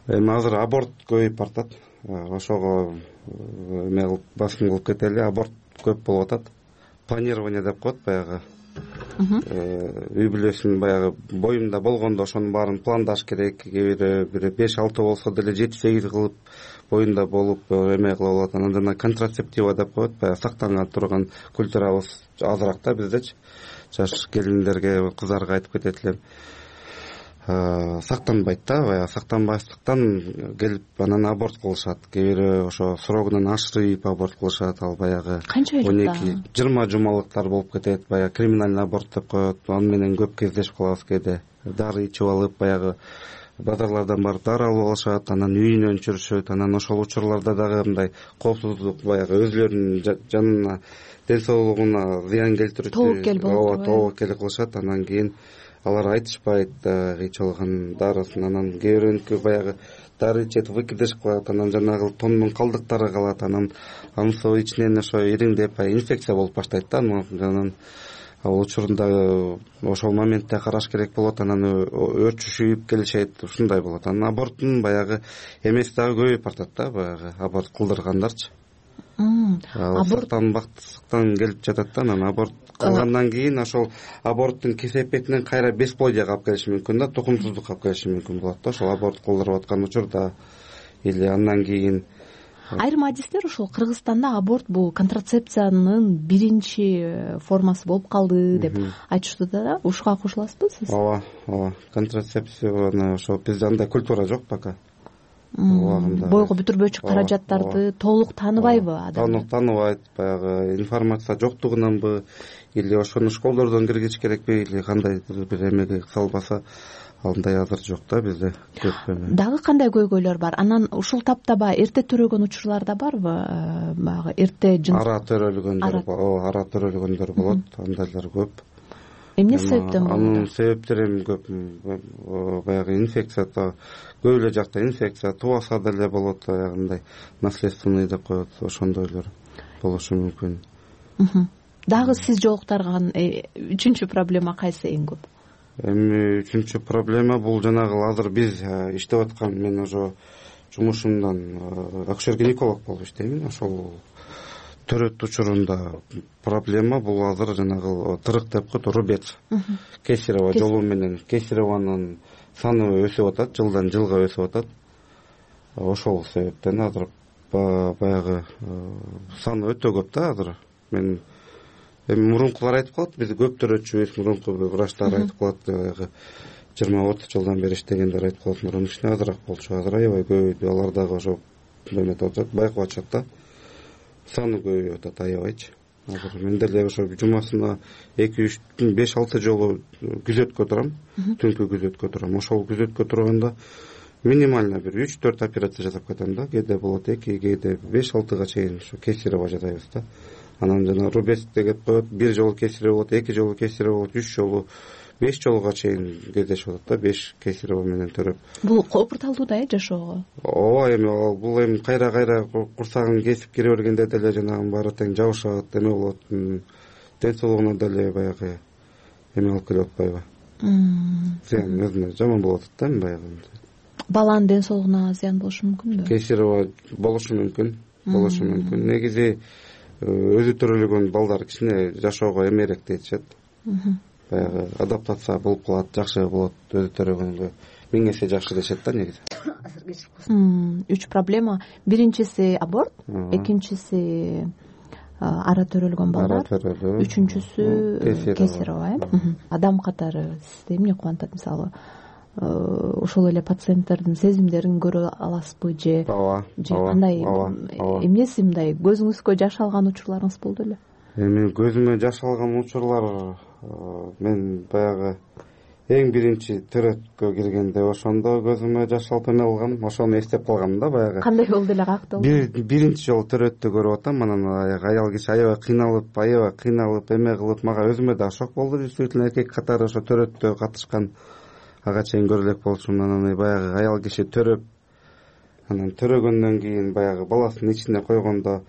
эми азыр аборт көбөйүп баратат, ошого эме кылып басым кылып кетели. Аборт көп болуп атат. Планирование деп коет, баягы үй бүлөсүн баягы боюмда болгондо ошонун баарын пландаш керек. Кээ бири бир беш алты болсо деле жети сегиз кылып боюнда болуп эме кылып алат. Анан жана контрацептива деп коет, баягы сактана турган культурабыз азыраак да биздечи. Жаш келиндерге, кыздарга айтып кетет элем, сактанбайт да, баягы сактанбастыктан келип анан аборт кылышат. Кээ бири ошо срогунан ашырып аборт кылышат. Ал баягы он эки жыйырма жумалыктар болуп кетет. Баягы криминальный аборт деп коет. Аны менен көп кездешип калабыз кээде. Дары ичип алып, баягы базарлардан барып дары алып алышат, анан үйүнөн чүрүшөт. Анан ошол учурларда дагы мындай коопсуздук, баягы өзүлөрүнүн жанына, ден соолугуна зыян келтирүүчү тобокел кылышат. Анан кийин алар айтышпайт ичилган дарысын. Анан кээ бирөөнүкү баягы дары ичет, выкидыш кылат, анан жанагы тоннун калдыктары калат. Анан анысы ичинен ошо ириңдеп инфекция болуп баштайт да. Анан ал учурунда ошол моментте караш керек болот. Анан өрчүшүп келишет, ушундай болот. Анан аборттун баягы эмеси дагы көбөйүп баратат да, баягы аборт кылдыргандарчы. Сактанбактыктан келип жатат да. Анан аборт кылгандан кийин ошол аборттун кесепетинен кайра бесплодияга алып келиши мүмкүн да, тукумсуздукка алып келиши мүмкүн болот да, ошол аборт кылдырып аткан учурда. Или андан кийин айрым адистер ошол Кыргызстанда аборт бул контрацепциянын биринчи формасы болуп калды деп айтышты да. Ушуга кошуласызбы сиз? Ооба, ооба. Контрацепцияны ошо бизде андай культура жок пока. Бойго бүтүрбөчү каражаттарды толук тааныбайбы адам? Толук тааныбайт, баягы информация жоктугунанбы, или ошону школдордон киргизиш керекпи, или кандайдыр бир эмеге салбаса, андай азыр жок да бизде көп эме. Дагы кандай көйгөйлөр бар? Анан ушул тапта баягы эрте төрөгөн учурлар да барбы? Баягы эрте жыныс ара төрөлгөндөр, ооба, ара төрөлгөндөр болот, андайлар көп. Эмне себептен болот? Анын себептери эми көп. Баягы инфекция, көп эле жакта инфекция, тубаса деле болот, аягындай наследственный деп коет, ошондойлор болушу мүмкүн. Дагы сиз жолуктарган үчүнчү проблема кайсы эң көп? Эми үчүнчү проблема бул жанагы азыр биз иштеп аткан, мен ошо жумушумдан акушер-гинеколог болуп иштеймин. Ошол төрөт учурунда проблема бул азыр жанагы тырык деп коет, рубец, кесарево жолу менен кесаревонун саны өсүп атат, жылдан жылга өсүп атат. Ошол себептен азыр баягы саны өтө көп да азыр. Мен эми мурункулар айтып калат, биз көп төрөтчүбүз, мурунку врачтар айтып калат, баягы жыйырма отуз жылдан бери иштегендер айтып калат, мурун ичине азыраак болчу, азыр аябай көбөйдү. Алар дагы ошо эметип атат, байкап атышат да. Саны көбөйүп атат аябайчы. Азыр мен деле ошо жумасына эки үч беш алты жолу күзөткө турам, түнкү күзөткө турам. Ошол күзөткө турганда минимально бир үч төрт операция жасап кетем да. Кээде болот эки, кээде беш алтыга чейин ушу кесарево жасайбыз да. Анан жана рубец деп коет, бир жолу кесарево болот, эки жолу кесарево болот, үч жолу, беш жолуга чейин кездешип атат да, беш кесарево менен төрөп. Бул коопурталдуу да э жашоого? Ооба, эми бул эми кайра-кайра курсагын кесип кире бергенде деле жанагы баары тең жабышат, эме болот, ден соолугуна деле баягы эме алып келип атпайбы? Зыян өзүнө жаман болуп атат да эми баягы. Баланын ден соолугуна зыян болушу мүмкүнбү? Кесарево болушу мүмкүн, болушу мүмкүн. Негизи өзү төрөлгөн балдар кичине жашоого эмерээк жетишет. Баягы адаптация болуп калат, жакшы болот өзү төрөгөнгө. Миң эсе жакшы дешет да негизи. Үч проблема. Биринчиси аборт, экинчиси ара төрөлгөн балдар, үчүнчүсү кесарево. Адам катары сизди эмне кубантат, мисалы? Ошол эле пациенттердин сезимдерин көрө аласызбы же же кандай эмнеси мындай көзүңүзгө жаш алган учурларыңыз болду эле? Эми көзүмө жаш алган учурлар мен баягы эң биринчи төрөткө киргенде ошондо көзүмө жаш алып эме кылгам, ошону эстеп калгам да баягы. Кандай болду эле, каякта болду? Биринчи жолу төрөттү көрүп атам, анан аял киши аябай кыйналып, аябай кыйналып эме кылып, мага өзүмө да шок болду. Действительно эркек катары ошо төрөттө катышкан ага чейин көрө элек болчумун. Анан баягы аял киши төрөп, анан төрөгөндөн кийин баягы баласын ичине койгондо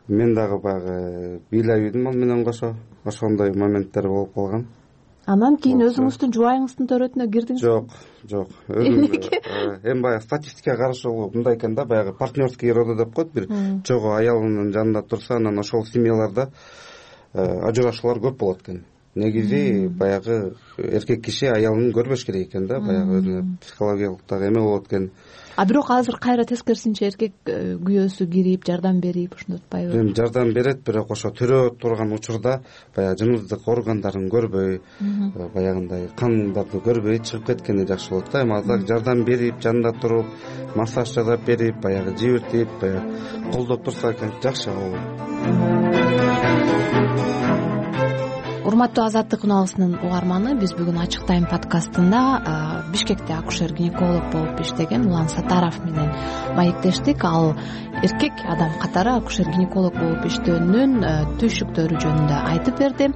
мен дагы баягы бийлебейдим ал менен кошо. Ошондой моменттер болуп калган. Анан кийин өзүңүздүн жубайыңыздын төрөтүнө кирдиңиз? Жок, жок. Өзүм эми баягы статистикага каршы мындай экен да, баягы партнерский роды деп коет, бир чогуу аялынын жанында турса, анан ошол семьяларда ажырашуулар көп болот экен. Негизи баягы эркек киши аялын көрбөш керек экен да, баягы өзүнө психологиялык дагы эме болот экен. А бирок азыр кайра тескерисинче эркек күйөөсү кирип жардам берип ушинтип атпайбы? Эми жардам берет, бирок ошо төрөп турган учурда баягы жыныстык органдарын көрбөй, баягындай кандарды көрбөй чыгып кеткени жакшы болот да. Эми азыр жардам берип, жанында туруп, массаж жасап берип, баягы жибиртип, баягы колдоп турса экен жакшы болот. Урматтуу Азаттык уналысынын угарманы, биз бүгүн Ачык Тайм подкастында Бишкекте акушер-гинеколог болуп иштеген Улан Сатаров менен маектештик. Ал эркек адам катары акушер-гинеколог болуп иштөөнүнүн түйшүктөрү жөнүндө айтып берди.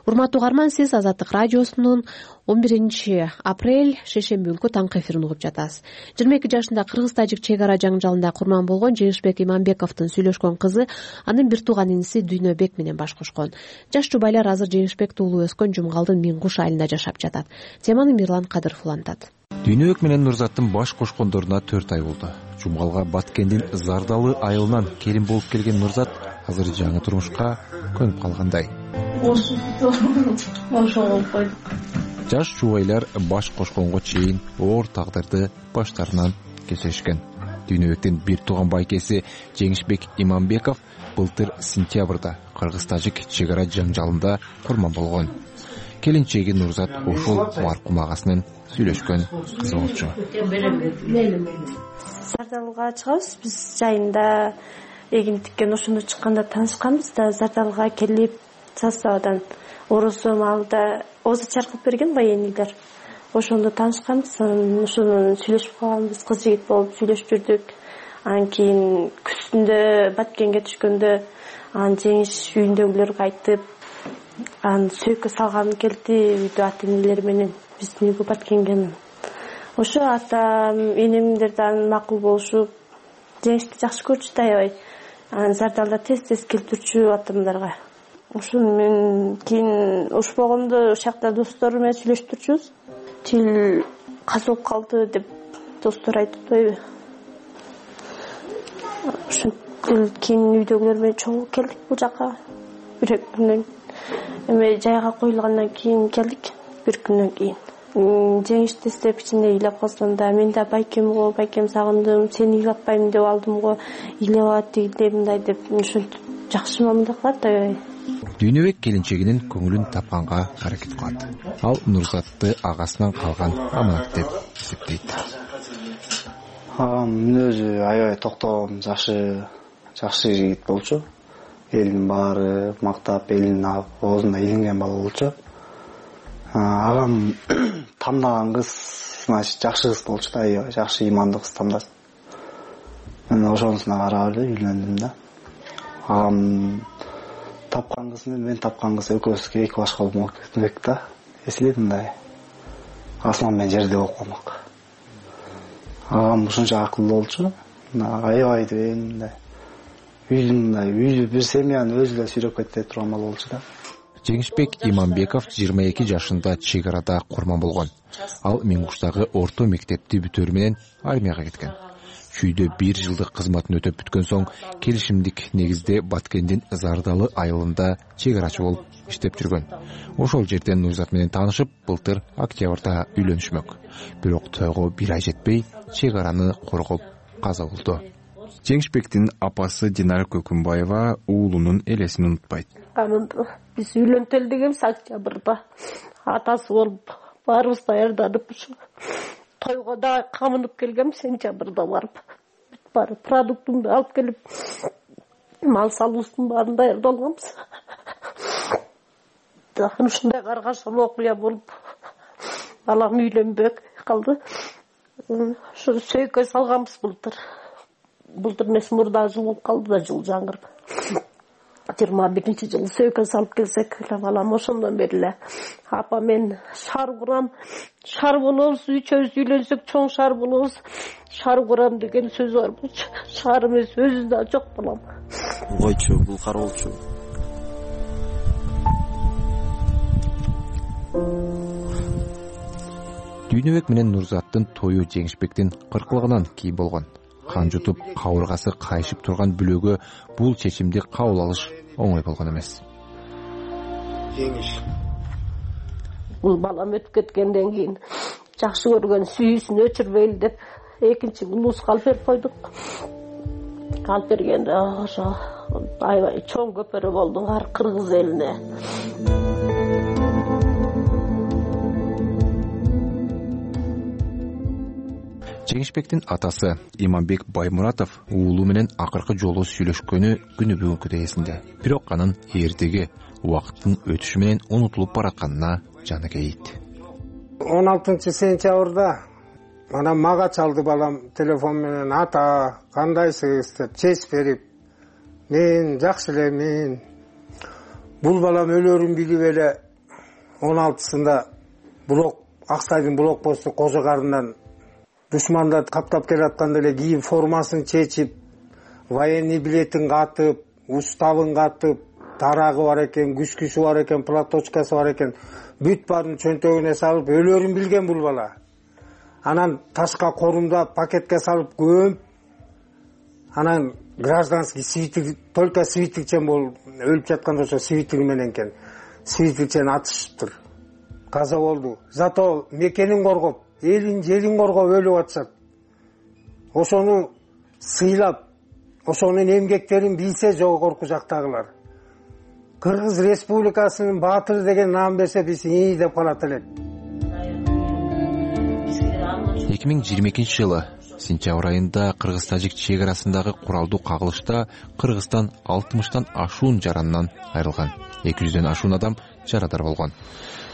Урматтуу угарман, сиз Азаттык радиосунун он биринчи апрель шейшемби күнкү таңкы эфирин угуп жатасыз. жыйырма эки жашында кыргыз-тажик чек ара жаңжалында курман болгон Жеңишбек Иманбековдун сүйлөшкөн кызы анын бир тууган иниси Дүйнөбек менен баш кошкон. Жаш жубайлар азыр Жеңишбек уулу өскөн Жумгалдын Миң Куш айылында жашап жатат. Теманы Мирлан Кадыров улантат. Дүйнөбек менен Нурзаттын баш кошкондоруна төрт ай болду. Жумгалга Баткендин Зардалы айылынан келин болуп келген Нурзат азыр жаңы турмушка көнүп калгандай. Жаш жубайлар баш кошконго чейин оор тагдырды баштарынан кечиришкен. Дүйнөбектин бир тууган байкеси Жеңишбек Иманбеков былтыр сентябрда кыргыз-тажик чек ара жаңжалында курман болгон. Келинчеги Нурзат ошол маркум агасынын сүйлөшкөн кызы болчу. Зардалга чыгабыз, биз жайында эгин тиккен ошондо чыкканда таанышканбыз да, Зардалга келип Сасабадан орусу малда озу чаркып берген военныйлар. Ошондо таанышканбыз, ошону сүйлөшүп калганбыз, кыз жигит болуп сүйлөшүп жүрдүк. Анан кийин күздүндө Баткенге түшкөндө анан Жеңиш үйүндөгүлөргө айтып, анан сөйкө салган келди үйдө ата-энелери менен биздин үйгө Баткенге. Ошо атам, энемдер да макул болушуп, Жеңишти жакшы көрчү да аябай. Анан Зардалда тез-тез келтирчү атамдарга. Ошону мен кийин ош болгондо ошакта достору менен сүйлөшүп турчубуз. Тил казып калды деп достор айтып атпайбы. Ошентип кийин үйдөгүлөр менен чогуу келдик бул жака. Бир күндөн эме жайга коюлгандан кийин келдик. Бир күндөн кийин Жеңишти издеп ичинде ыйлап калсам да, мен да байкем го, байкем сагындым, сени ыйлатпайм деп алдым го, ыйлап алат тигиндей мындай деп ошентип жакшы мамиле кылат да. Дүйнөбек келинчегинин көңүлүн тапканга аракет кылат. Ал Нурзатты агасынан калган аманат деп эсептейт. Агам мүнөзү аябай токтогон, жакшы, жакшы жигит болчу. Элдин баары мактап, элин оозунда илинген бала болчу. Агам тандаган кыз, значит, жакшы кыз болчу да, аябай жакшы имандуу кыз тандады. Мен ошонусуна карап эле үйлөндүм да. Агам тапкан кыз менен мен тапкан кыз экөөбүзгө эки башка болмок кетмек да. Эсилет мындай асман менен жерде болуп калмак. Агам ушунча акылдуу болчу, аябай деген мындай үйдүн мындай үйдү бир семьяны өзү эле сүйрөп кете турган бала болчу да. Жеңишбек Иманбеков жыйырма эки жашында чек арада курман болгон. Ал Миң Куштагы орто мектепти бүтөөрү менен армияга кеткен. Чүйдө бир жылдык кызматын өтөп бүткөн соң келишимдик негизде Баткендин Зардалы айылында чек арачы болуп иштеп жүргөн. Ошол жерден Нурзат менен таанышып, былтыр октябрда үйлөнүшмөк. Бирок тойго бир ай жетпей чек араны коргоп каза болду. Жеңишбектин апасы Динара Көкүмбаева уулунун элесин унутпайт. Биз үйлөнтөлү дегенбиз октябрда. Атасы болуп баарыбыз даярданып ушу тойго да камынып келгем сентябрда барып. Барып продуктумду алып келип мал салуубуздун баарын даярдалганбыз. Ушундай каргашалуу окуя болуп балам үйлөнбөй калды. Ушу сөйкө салганбыз былтыр. Былтыр эмес, мурда жыл болуп калды да, жыл жаңырып. жыйырма биринчи жылы сөйкө салып келсек эле балам, ошондон бери эле апа мен шаар курам, шаар болобуз, үчөөбүз үйлөнсөк чоң шаар болобуз, шаар курам деген сөз бар болчу. Шаар эмес, өзү да жок балам. Койчу, бул кар болчу. Дүйнөбек менен Нурзаттын тою Жеңишбектин кыркылыгынан кийин болгон. Кан жутуп, кабыргасы кайшып турган бүлөгө бул чечимди кабыл алыш оңой болгон эмес. Бул балам өтүп кеткенден кийин жакшы көргөн сүйүүсүн өчүрбөйлү деп экинчи улуска алып берип койдук. Алып бергенде ошо аябай чоң көпөрө болду ар кыргыз элине. Жеңишбектин атасы Иманбек Баймуратов уулу менен акыркы жолу сүйлөшкөнү күнү бүгүнкү эсинде. Бирок анын эртеги убакыттын өтүшү менен унутулуп баратканына жаны кейит. он алтынчы сентябрда анан мага чалды балам телефон менен: ата, кандайсыз деп чеч берип. Мен жакшы элемин. Бул балам өлөрүн билип эле он алтысында блок Аксайдын блок посту Кожо Карындан душмандар каптап келатканда эле кийим формасын чечип, военный билетин катып, уставын катып, тарагы бар экен, күчкүсү бар экен, платочкасы бар экен, бүт баарын чөнтөгүнө салып өлөрүн билген бул бала. Анан ташка корумдап, пакетке салып көмүп, анан гражданский свитик, только свитикчен бол өлүп жатканда ошо свитиги менен экен. Свитикчен атышыптыр. Каза болду. Зато мекенин коргоп, элин жерин коргоп өлүп атышат. Ошону сыйлап, ошонун эмгектерин билсе жогорку жактагылар. Кыргыз Республикасынын баатыры деген наам берсе биз ии деп калат элек. эки миң жыйырма экинчи жылы сентябрь айында кыргыз-тажик чек арасындагы куралдуу кагылышта Кыргызстан алтымыштан ашуун жарандан айрылган. эки жүздөн ашуун адам жарадар болгон.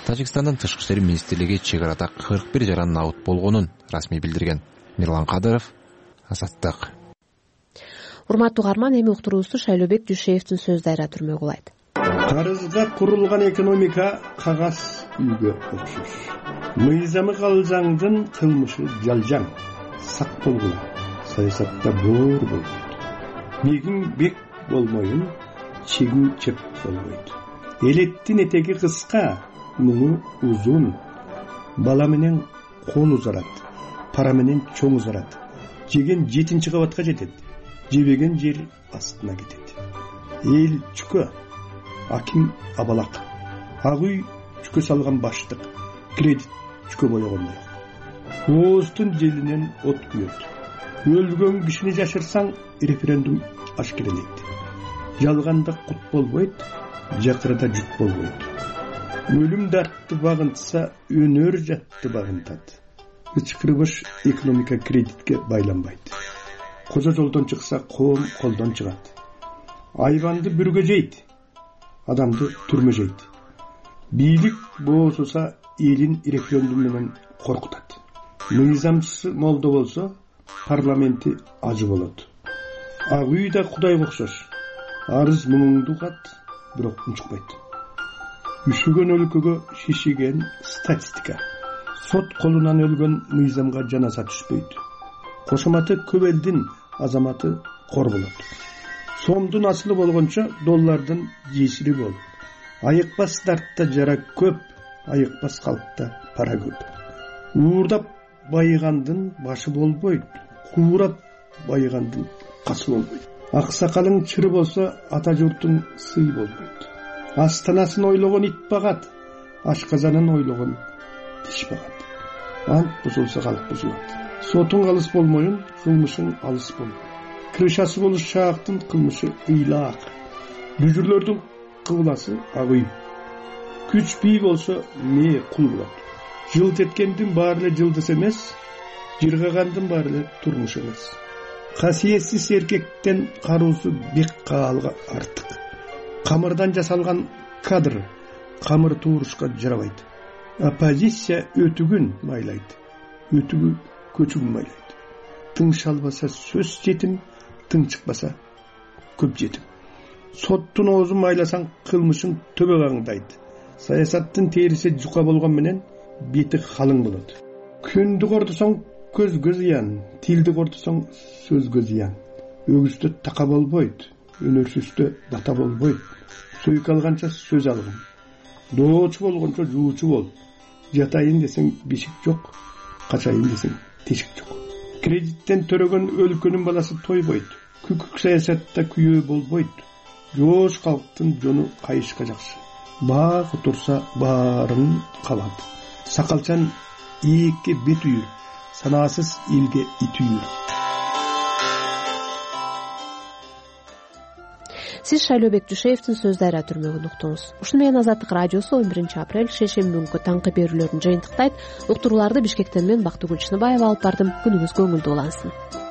Тажикстандын тышкы иштер министрлиги чек арада кырк бир жаран набыт болгонун расмий билдирген. Мирлан Кадыров, Азаттык. Урматтуу угарман, эми уктуруубузду Шайлообек Дүйшеевдин сөз дайра түрмөгү улайт. Карызга курулган экономика кагаз үйгө окшош. Мыйзамы калжаңдын кылмышы жалжаң. Сак болгула. Саясатта боор болбойт. Мегиң бек болмойун, чегиң чеп болбойт. Элеттин этеги кыска, муну узун. Бала менен кол узарат, пара менен чоң узарат. Жеген жетинчи кабатка жетет, жебеген жер астына кетет. Эл чүкө, аким абалак. Ак үй чүкө салган баштык, кредит чүкө бойогондой. Ооздун желинен от күйөт. Өлгөн кишини жашырсаң, референдум ашкерелейт. Жалганда кут болбойт, жакырда жүк болбойт. Өлүм дартты багынтса, өнөр жатты багынтат. Ычкырбыш экономика кредитке байланбайт. Козо жолдон чыкса, коом колдон чыгат. Айванды бүргө жейт, адамды түрмө жейт. Бийлик боосуса, элин референдум менен коркутат. Мыйзамчысы молдо болсо, парламенти ажы болот. Ак үй да Кудайга окшош. Арыз муңуңду угат, бирок унчукпайт. Үшүгөн өлкөгө шишиген статистика. Сот колунан өлгөн мыйзамга жаназа түшпөйт. Кошоматы көп элдин азаматы кор болот. Сомдун асылы болгончо доллардын жесири бол. Айыкпас дартта жара көп, айыкпас калкта пара көп. Уурдап байыгандын башы болбойт, куурап байыгандын касы болбойт. Аксакалың чыры болсо, ата журтун сый болбойт. Астанасын ойлогон ит багат, ашказанын ойлогон тиш багат. Ант бузулса калк бузулат. Сотуң алыс болмоюн, кылмышың алыс болбойт. Крышасы болуш шаактын кылмышы ыйлаак. Бүжүрлөрдүн кыбласы ак үй. Күч бий болсо мээ кул болот. Жылт эткендин баары эле жылдыз эмес, жыргагандын баары эле турмуш эмес. Касиетсиз эркектен кароосу бек каалга артык. Камырдан жасалган кадр камыр туурушка жарабайт. Оппозиция өтүгүн майлайт, өтүгү көчүгүн майлайт. Тың шалбаса сөз жетим, тың чыкпаса көп жетим. Соттун оозун майласаң кылмышың төбө каңдайт. Саясаттын териси жука болгон менен бети калың болот. Күндү кордусоң көзгө зыян, тилди кордусоң сөзгө зыян. Өгүздө така болбойт, өнөрсүздө бата болбойт. Сөйк алганча сөз алгын. доочу болгончо жуучу бол. Жатайын десең бишик жок, качайын десең тешик жок. Кредиттен төрөгөн өлкөнүн баласы тойбойт. Күкүк саясатта күйөө болбойт. Жоош калктын жону кайышка жакшы. Баа отурса баарын калат. Сакалчан ийикке бет үйүр, санаасыз элге ит үйүр. Сиз Шайлообек Жушеевдин сөздөрү түрмөгүн уктуңуз. Ушуну менен Азаттык радиосу он биринчи апрель шейшемби күнкү таңкы берүүлөрүн жыйынтыктайт. Уктурууларды Бишкектен мен Бактыгүл Чыныбаева алып бардым. Күнүңүз көңүлдүү улансын.